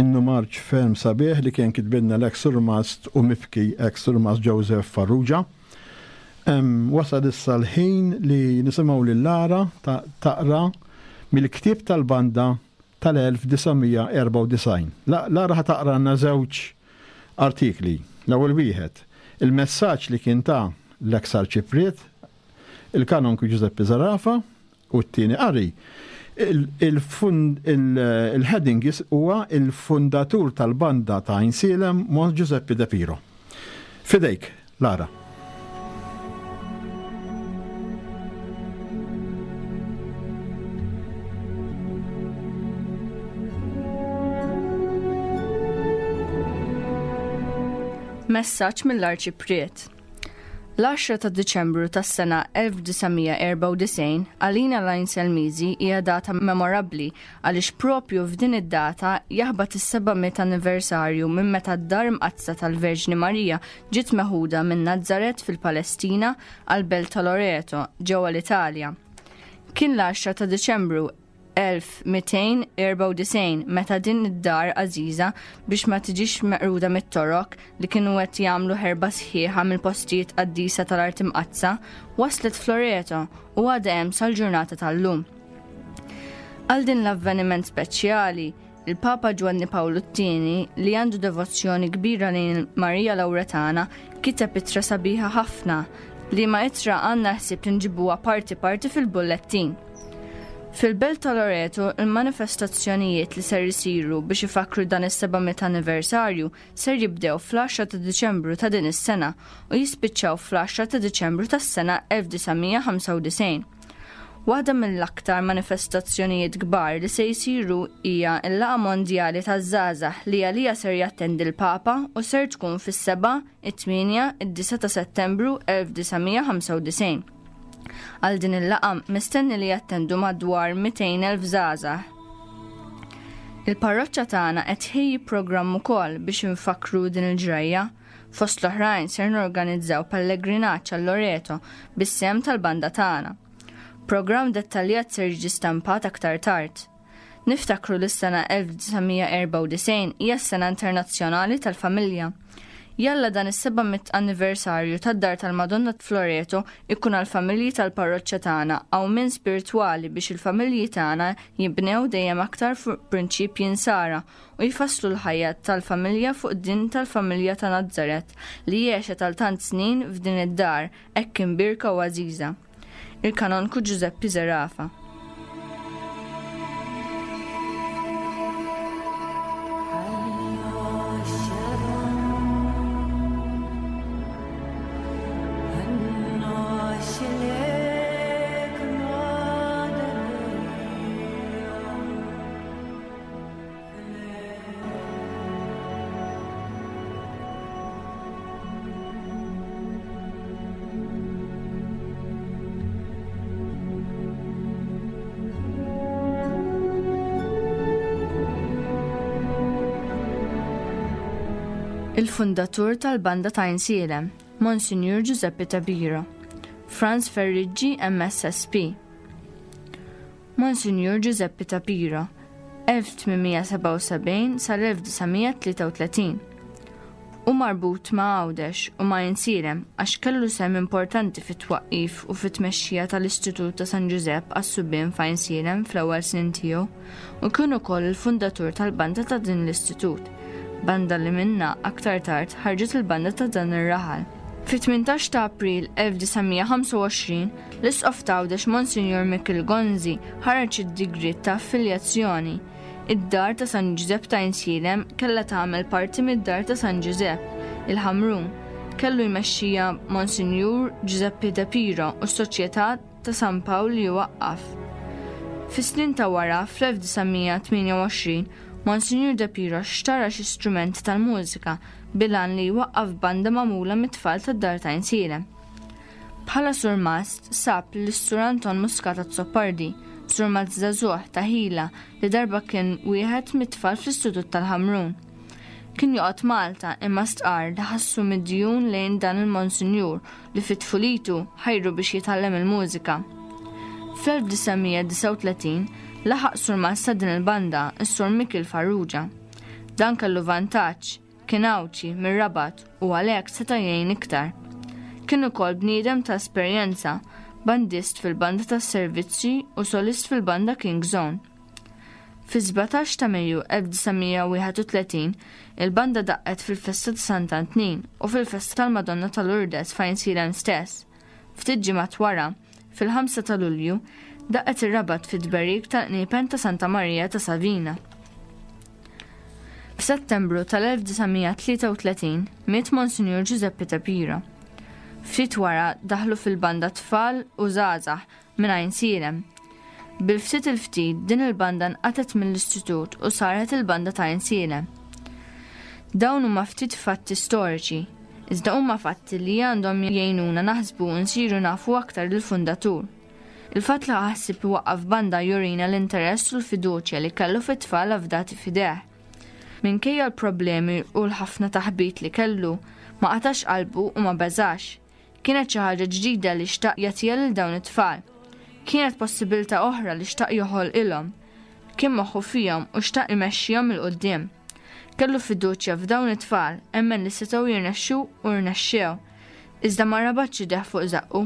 Innu marċ ferm sabiħ li kien kitbilna l-eks surmast u mibki eks surmast Joseph Farrugia. Wasal issa l-ħin li nisimgħu lil Lara taqra mill-ktieb tal-banda tal-1994. Lara ħa taqralna żewġ artikli. L-ewwel wieħed, il-messaġġ li kien ta l-eks Arċipriet, il-Kanonku Ġużeppi Zerafa, u t-tieni qari, il-heading huwa il-fundatur tal-banda ta' Għajnsielem, Mons Ġużeppi De Piro. F'idejk, Lara. Messaġġ mill-Arċipriet. L-10 ta' Diċembru tas-sena 1994 għalina l-Għajn Selmiżi hija data memorabbli għaliex proprju f'din id-data jaħbat is-700 anniversarju minn meta d-Dar Mqaddsa tal-Verġni Marija ġiet meħuda minn Nazaret fil-Palestina għall-belt ta' Loreto ġewwa l-Italja. Kien l-10 ta' Diċembru. 1294 meta din id-dar għażiża biex ma tiġix meqruda mit-Torok li kienu qed jagħmlu ħerba sħiħa mill-postijiet qaddisa tal-Art Imqaddsa, waslet f'Loreto u għadha hemm sal-ġurnata tal-lum. Għal din l-avveniment speċjali, il-Papa Ġwanni Pawlu t-Tieni, li għandu devozzjoni kbira lejn Marija Lawretana, kiteb ittra sabiħa ħafna, liema ittra għandna l-ħsieb li nġibuha parti parti fil-bullettin. Fil-Belt ta' Loreto, il-manifestazzjonijiet li ser isiru biex ifakkru dan is-700 anniversarju ser jibdew fl-10 ta' Diċembru ta' din is-sena u jispiċċaw fl-10 ta' Diċembru tas-sena 1995. Waħda mill-aktar manifestazzjonijiet kbar li se jsiru hija l-Laqgħa Mondjali taż-Żgħażagħ li għaliha ser jattendi l-Papa u ser tkun fis-7, it-8, id-9 ta' Settembru 1995. Għal din il-laqgħa mistenni li jattendu madwar 200,000 żgħażagħ. Il-parroċċa tagħna qed tħejji programm ukoll biex infakkru din il-ġrajja. Fost l-oħrajn ser norganizzaw pellegrinaġġ għal Loreto bis-sehem tal-banda tagħna. Programm dettaljat ser jiġi stampat aktar tard. Niftakru li s-sena 1994 hija s-sena internazzjonali tal-familja. Jalla dan is-700 anniversarju tad-Dar tal-Madonna f'Loreto ikun għall-familji tal-parroċċa tagħna qawmien spiritwali biex il-familji tagħna jinbnew dejjem aktar fuq prinċipji nsara u jfasslu l-ħajja tal-familja fuq din tal-familja ta' Nazaret li għexet għal tant snin f'din id-dar hekk imbierka u għażiża. Il-Kanonku Ġużeppi Zerafa. Il-fundatur tal-Banda ta' Għajnsielem, Monsinjur Giuseppe Tabiro, Franz Ferriggi MSSP. Monsinjur Ġużeppi ta' Piro, 1877 sal-1933. Hu marbut ma' Għawdex u ma' Għajnsielem għax kellu sehem importanti fit-twaqqif u fit-tmexxija tal-Istitut ta' San Ġużepp għas-Subien f'Għajnsielem fl-ewwel snin tiegħu u kien ukoll il-fundatur tal-banda ta' din l-istitut, banda li minnha aktar tard ħarġet il-banda ta' dan ir-raħal. Fit-18 ta' April 1925, l-Isqof t'Għawdex Monsinjur Mikiel Gonzi ħareġ id-digriet ta' affiljazzjoni. Id-Dar ta' San Ġużepp ta' Għajnsielem kellha tagħmel parti mid-Dar ta' San Ġużepp, il-Ħamrun. Kellu jmexxiha Monsinjur Ġużeppi De Piro u s-Soċjetà ta' San Pawl li waqqaf. Fis-snin ta' wara, fl-1928, Monsinjur De Piro xtara xi strumenti tal-mużika bil-għan li jwaqqaf banda magħmula mit-tfal tad-Dar ta' Għajnsielem. Bħala surmast sab lis-Sur Anton Muscat Azzopardi, surmast żagħżugħ ta' ħila li darba kien wieħed mit-tfal fl-Istitut tal-Ħamrun. Kien joqgħod Malta imma stqarr li ħassu midjun lejn dan il-Monsinjur li fi tfulitu ħajru biex jitgħallem il-mużika. Fl-1939 laħaq surmast ta' din il-banda, is-Sur Mikiel Farrugia. Dan kellu vantaġġ, kien Għawdxi, mir-Rabat, u għalhekk seta' jgħin iktar. Kien ukoll bniedem ta' esperjenza, bandist fil-banda tas-servizzi u solist fil-banda King's Own. Fis-17 ta' Mejju 1931, il-banda daqqet fil-festa ta' Sant'Antnin u fil-festa tal-Madonna ta' Lourdes f'Għajnsielem stess. Ftit ġimgħat wara, fil-5 ta' Lulju, daqqet ir-Rabat fit-tberik tal-qniepen ta' Santa Marija ta' Savina. F'Settembru tal-1933 miet Monsinjur Ġużeppi De Piro. Ftit wara daħlu fil-banda tfal u żgħażagħ minn Għajnsielem. Bil-ftit il-ftit din il-banda nqatgħet mill-istitut u saret il-banda ta' Għajnsielem. Dawn huma ftit fatti storiċi, iżda huma fatti li għandhom jgħinuna naħsbu u nsiru nafu aktar lill-fundatur. Il-fatt li ħa ħsieb iwaqqaf banda jurina l-interess u l-fiduċja li kellu fit-tfal afdati f'idejh. Minkejja l-problemi u l-ħafna taħbit li kellu, ma qatax qalbu u ma beżax. Kienet xi ħaġa ġdida li xtaq jagħtiha lil dawn it-tfal. Kienet possibilità oħra li xtaq joħolqilhom. Kien moħħu fihom u xtaq imexxihom 'il quddiem. Kellu fiduċja f'dawn it-tfal, emmen li setgħu jirnexxu u rnexxew. Iżda ma rabatx idejh fuq żaqqu,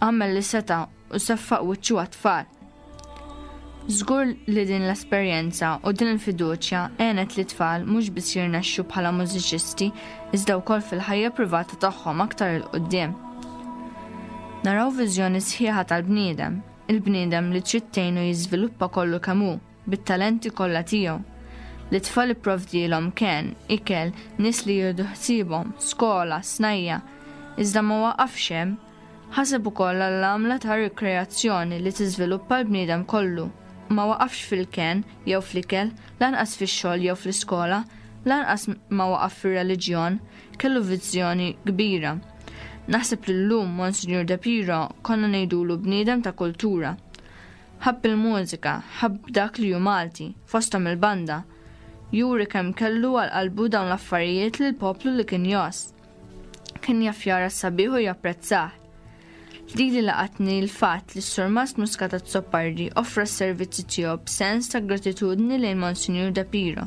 għamel li seta' u seffaq wiċċu għat-tfal. Żgur li din l-esperjenza u din il-fiduċja għenet lit-tfal mhux biss jirnexxu bħala mużiċisti iżda wkoll fil-ħajja privata tagħhom aktar 'il quddiem. Naraw viżjoni sħiħa tal-bniedem, il-bniedem li trid tgħinu jiżviluppa kollu kemm hu, bit-talenti kollha tiegħu. Lit-tfal ipprovdielhom kenn, ikel, nies li jieħdu ħsiebhom, skola, snajja'. Iżda ma waqafx hemm. Ħaseb ukoll għall-għamla ta' rikreazzjoni li tiżviluppa l-bniedem kollu. Ma waqafx fil-kenn jew fl-ikel, lanqas fix-xogħol jew fl-iskola, lanqas ma waqaf fir-reliġjon, kellu viżjoni kbira. Naħseb li llum Monsinjur De Piro konna ngħidulu bniedem ta' kultura. Ħabb il-mużika, ħabb dak li hu Malti, fosthom il-banda. Juri kemm kellu għal qalbu dawn l-affarijiet lill-poplu li kien jgħożż. Kien jaf jara s-sabiħ u japprezzah. Lili laqatni l-fatt li s-Surmast Muscat Azzopardi offra s-servizzi tiegħu b'sens ta' gratitudni lejn Monsinjur De Piro.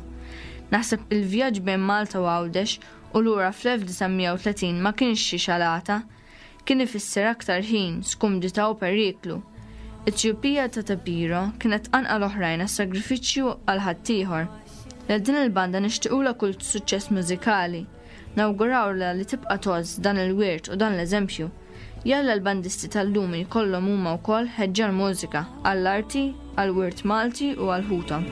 Naħseb il-vjaġġ bejn Malta u Għawdex u lura fl-1930 ma kienx xi xalata. Kien ifisser aktar ħin, skumdità u periklu. It-tjubija ta' De Piro kienet tqanqal oħrajn għas-sagrifiċċju għal ħaddieħor. Lil din il-banda nixtiqulha kull suċċess mużikali. Nawgurawlha li tibqa' tgħożż dan il-wirt u dan l-eżempju. Jalla l-bandisti tal-lum jkollhom huma wkoll ħeġġa għall-mużika, għall-arti, għall-wirt Malti u għal ħuthom.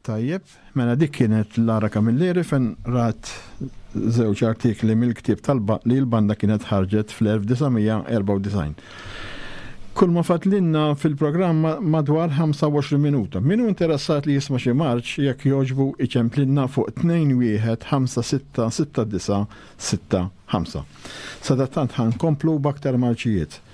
Tajjeb, mela dik kienet Lara Camilleri fejn rat żewġ artikli mill-ktieb li l-banda kienet ħarġet fl-1994. Kull ma fadlilna fil-programm madwar 25 minuta. Min hu interessat li jisma' xi marċ jekk jogħġbu iċemplilna fuq 21 56 69 65. Sadattant ħa nkomplu b'aktar marċijiet.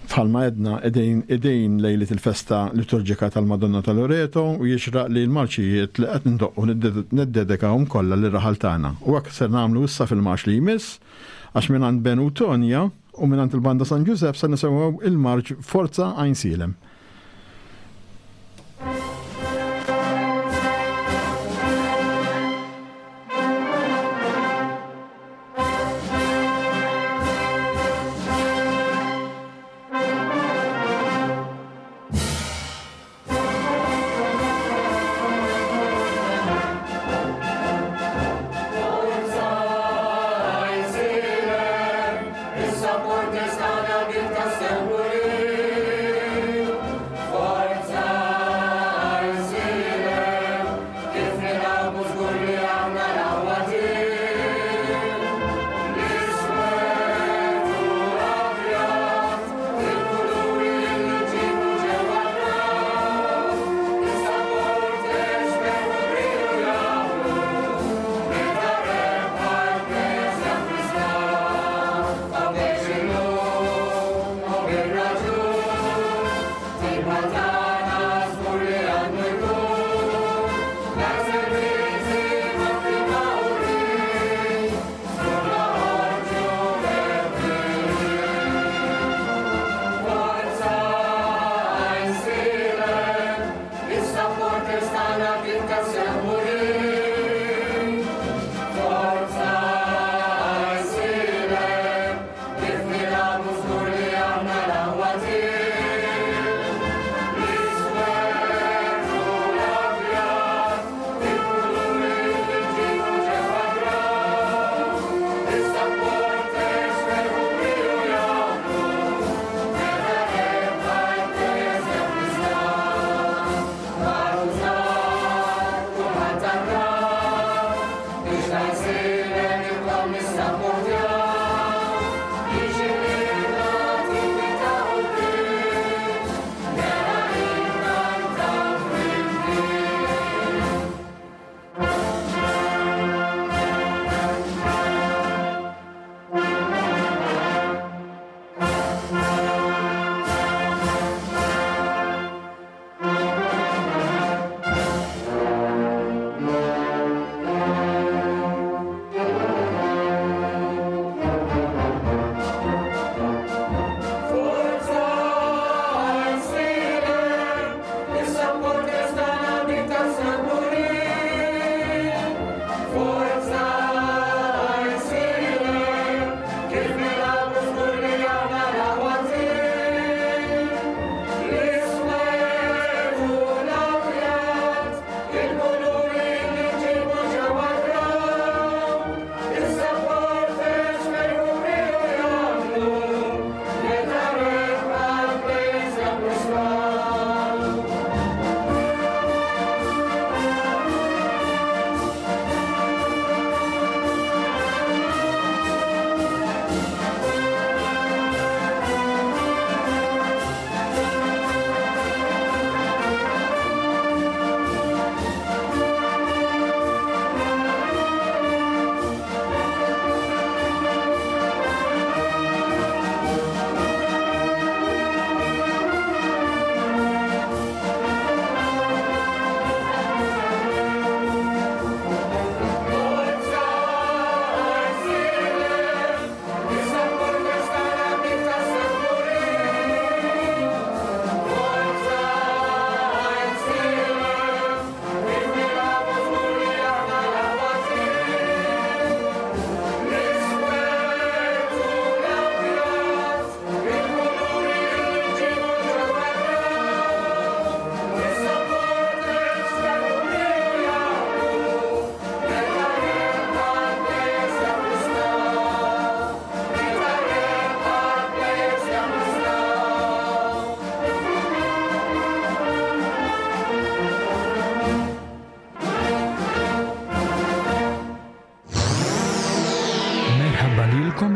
Bħalma għedna qegħdin idejn lejliet il-festa liturġika tal-Madonna ta' Loreto u jixraq li l-marċijiet li qed ndoqqu niddedikawhom kollha lir-raħal tagħna. U hekk ser nagħmlu issa fil-marċ li jmiss għax mingħand Ben u Tonja u mingħand il-Banda San Ġużepp se nisimgħu il-marċ Forza Għajnsielem.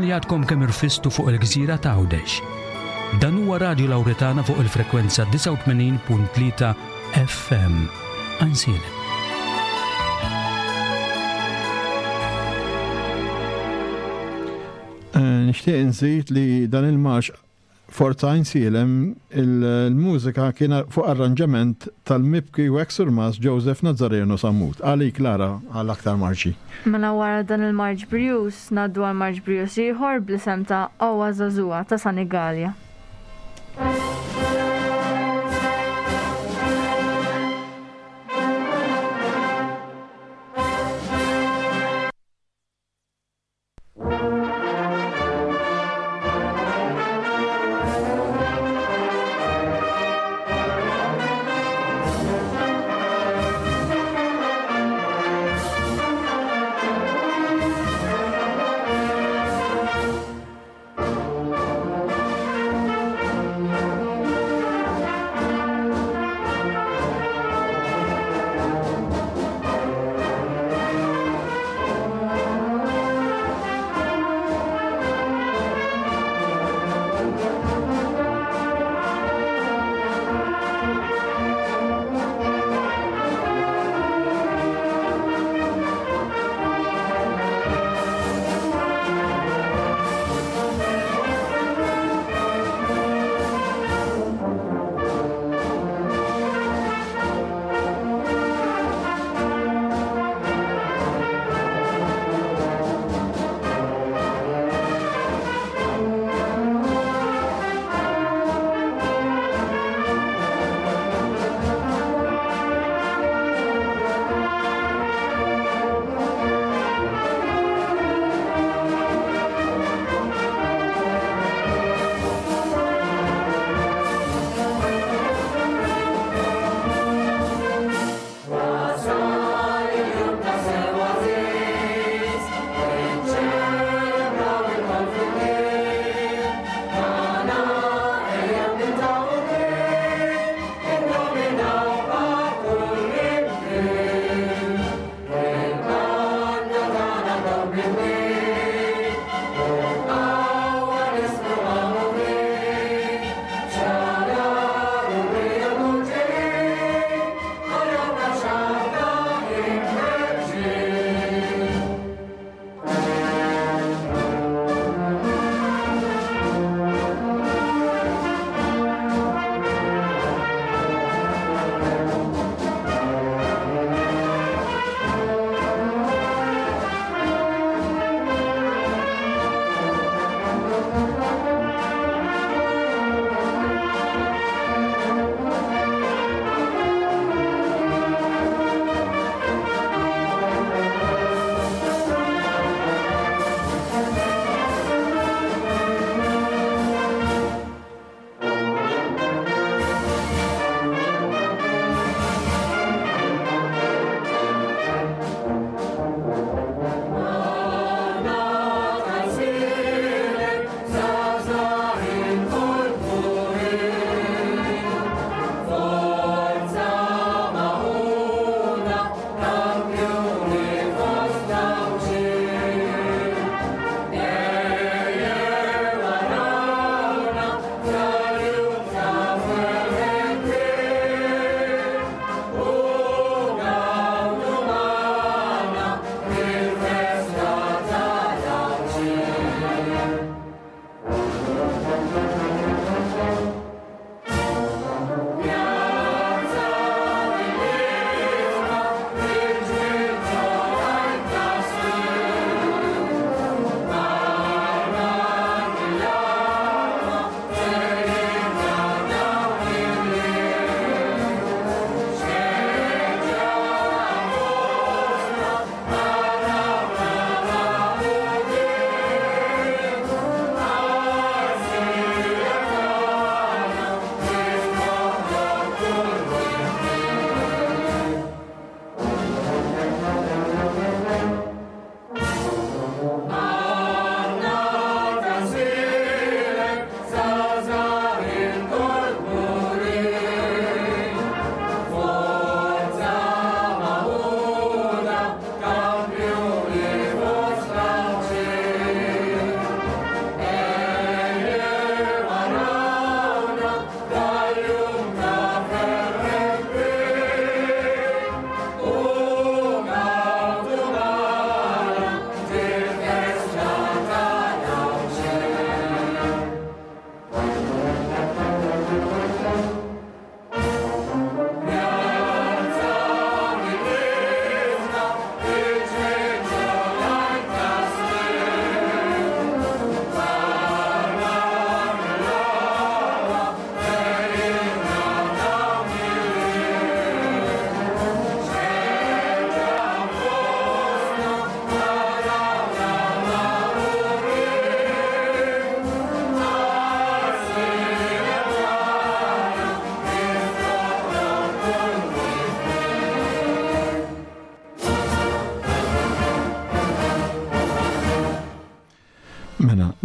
Lilkom li għadkom kemm irfistu fuq il-gżira ta' Għawdex. Dan huwa Radju Lawretana fuq il-frekwenza 89.3 FM. Għajnsielem. Eh, nixtieq inżid li dan il-marx Forza Għajnsielem il-mużika kien fuq arranġament tal-mibki u ex surmast Joseph Nazzareno Sammut. Għalik Lara għal aktar marċi. Mela wara dan il-marċ brijuż ngħaddu għal marċ brijuż ieħor bl-isem ta' Owa Żagħżugħa ta' Sanigallia.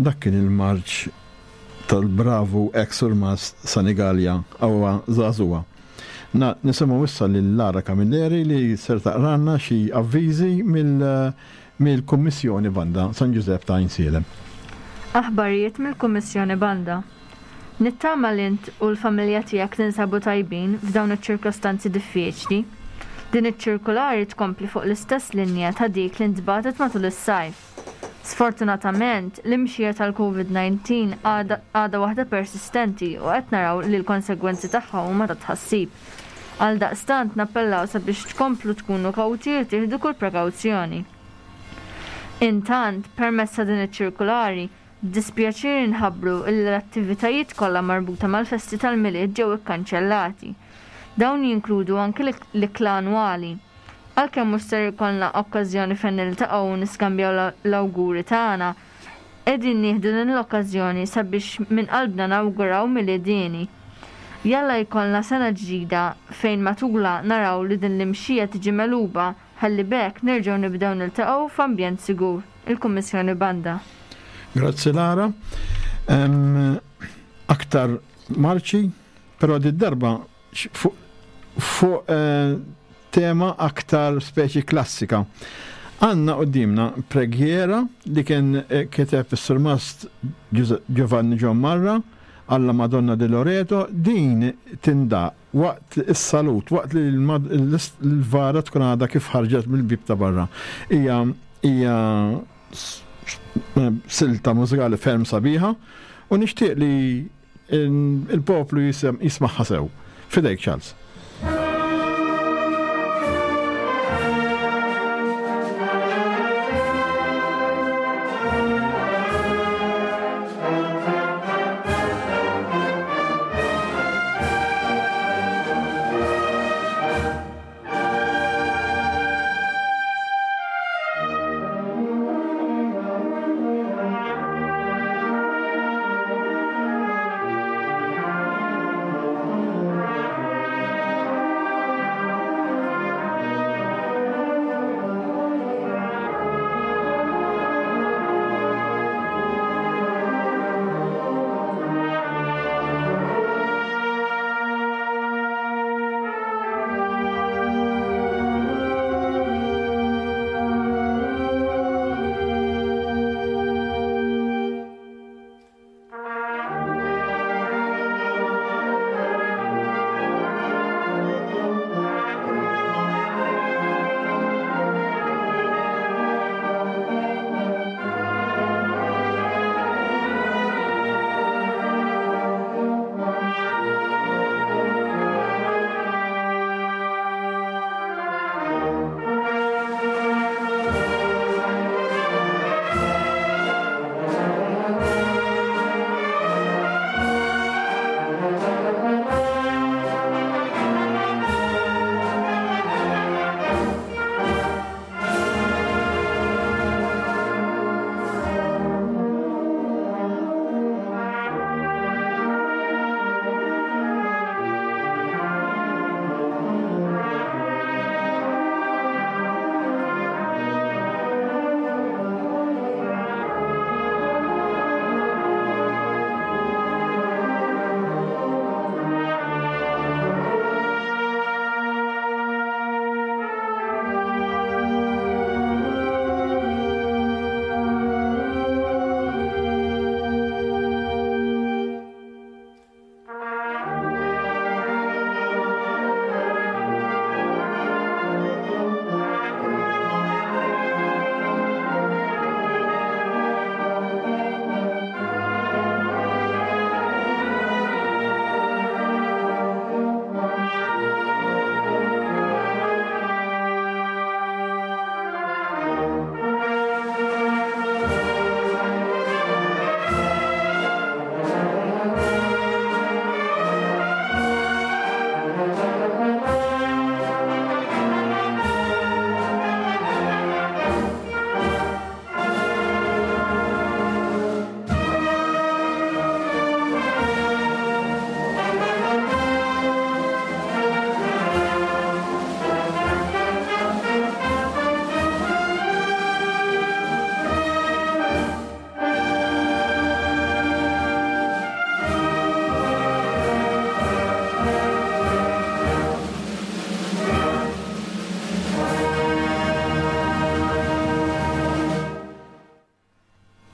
Dak kien il-marċ tal-bravu ex surmast Sanigallia Awwa Żagħżugħa. Na, nisimgħu issa lil Lara Camilleri li ser taqralna xi avviżi mill-Kummissjoni Banda San Ġużepp ta' Għajnsielem. Aħbarijiet mill-Kummissjoni Banda. Nittama li int u l-familja tiegħek tinsabu tajbin f'dawn iċ-ċirkostanzi diffiċli. Din iċ-ċirkulari tkompli fuq l-istess linja ta' dik li ntbagħtet matul is-sajf. Sfortunatament, l-imxija tal-Covid 19 għadha waħda persistenti u qed naraw li l-konsegwenzi tagħha huma ta' tħassib. Għaldaqstant nappellaw sabiex tkomplu tkunu kawti u tieħdu kull prekawzjoni. Intant, permezz ta' din iċ-ċirkulari, b'dispjaċir inħabbru illi l-attivitajiet kollha marbuta mal-festi tal-Milied ġew ikkanċellati. Dawn jinkludu anki l-ikla annwali. Għalkemm mhux ser ikollna okkażjoni fejn niltaqgħu u niskambjaw l-awguri tagħna, qegħdin nieħdu din l-okkażjoni sabiex minn qalbna nawguraw Milied hieni. Jalla jkollna sena ġdida fejn matulha naraw li din l-imxija tiġi megħluba ħalli b'hekk nerġgħu nibdew niltaqgħu f'ambjent sigur. Il-Kummissjoni Banda. Grazzi Lara. Aktar marċi, però did-darba fuq eh, tema aktar speċi klassika. Għanna qoddimna preghiera li kien eh, kiteb is-surmast Giovanni John Marra għalla Madonna di Loreto, din tindaq waqt is-salut, waqt li l-vara tkun għadha kif ħarġet mill-bib ta' barra. Hija hija eh, silta mużikali ferm sabiħa u nixtieq li Il-poplu jismagħha sew. Fidejk Charles.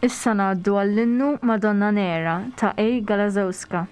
Issa ngħaddu għall-innu Madonna Nera ta' A. Galazowska.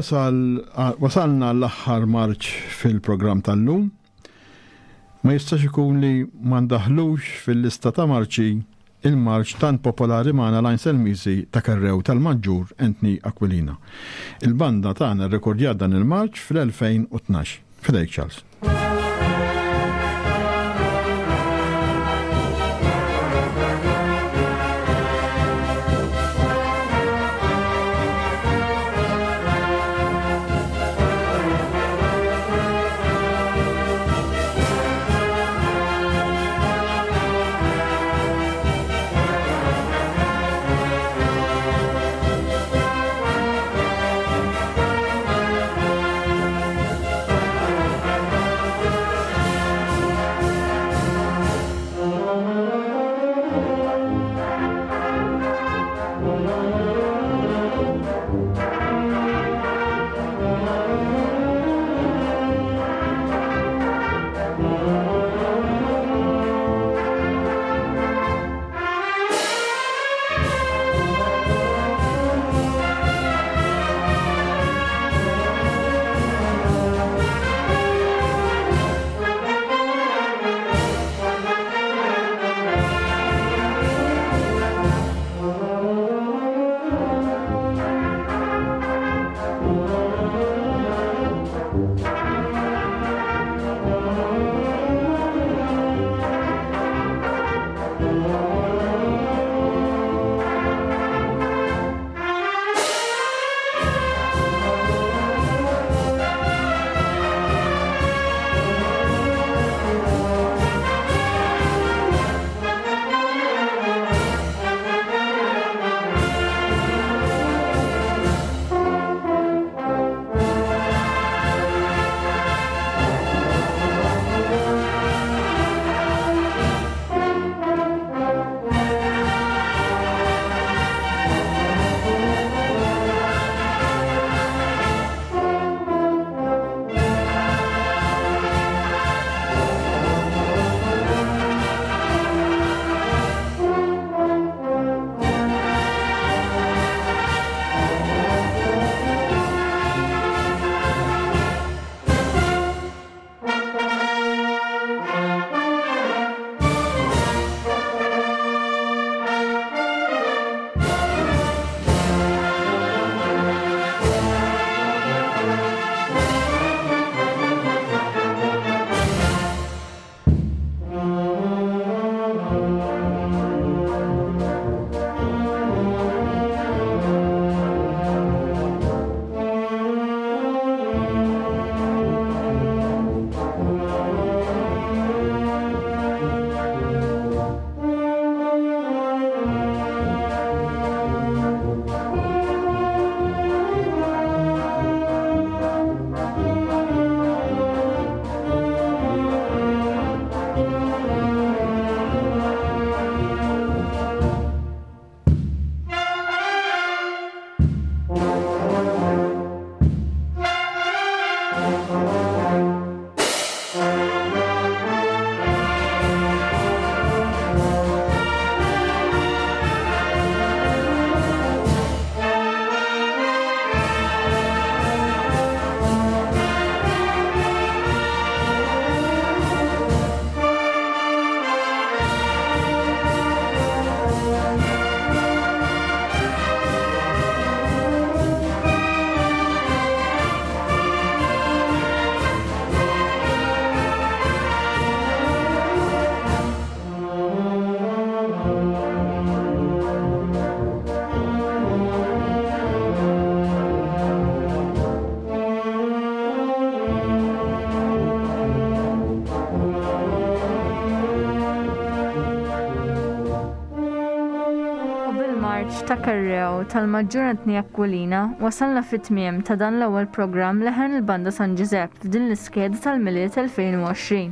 Wasal, wasalna l-aħħar marċ fil-programm tal-lum. Ma jistax ikun li ma ndaħlux fil-lista ta' marċi il-marċ tant popolari magħna l-Għajn Selmisi ta' Kerrew tal-Maġġur Anthony Aquilina. Il-banda tagħna rrekordjat dan il-marċ fl-2012. Fidejk Charles. marċ ta' Kerreo tal-Maġġur Anthony Aquilina wasalna fit-tmiem ta' dan l-ewwel programm Leħen il-Banda San Ġużepp f'din l-iskeda tal-Milied 2020.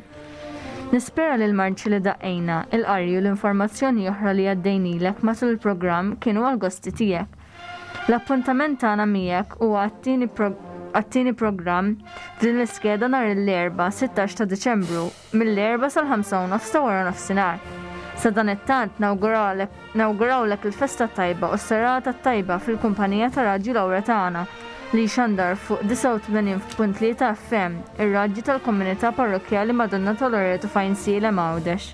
Nispera li l-marċi li daqqejna, il-qari u l-informazzjoni oħra li għaddejnilek matul il-programm kienu għall-gosti tiegħek. L-appuntament tagħna miegħek huwa għat-tieni programm f'din l-iskeda nhar l-Erbgħa 16 ta' Diċembru mill-erbgħa sal-ħamsa u nofs ta' wara nofsinhar. Sadanittant nawgurawlek il-festa t-tajba u s-serata t-tajba fil-kumpanija ta' Radju Laura tagħna li jxandar fuq 89.3 FM, ir-radju tal-Komunità Parrokkjali Madonna ta' Loreto f'Għajnsielem Għawdex.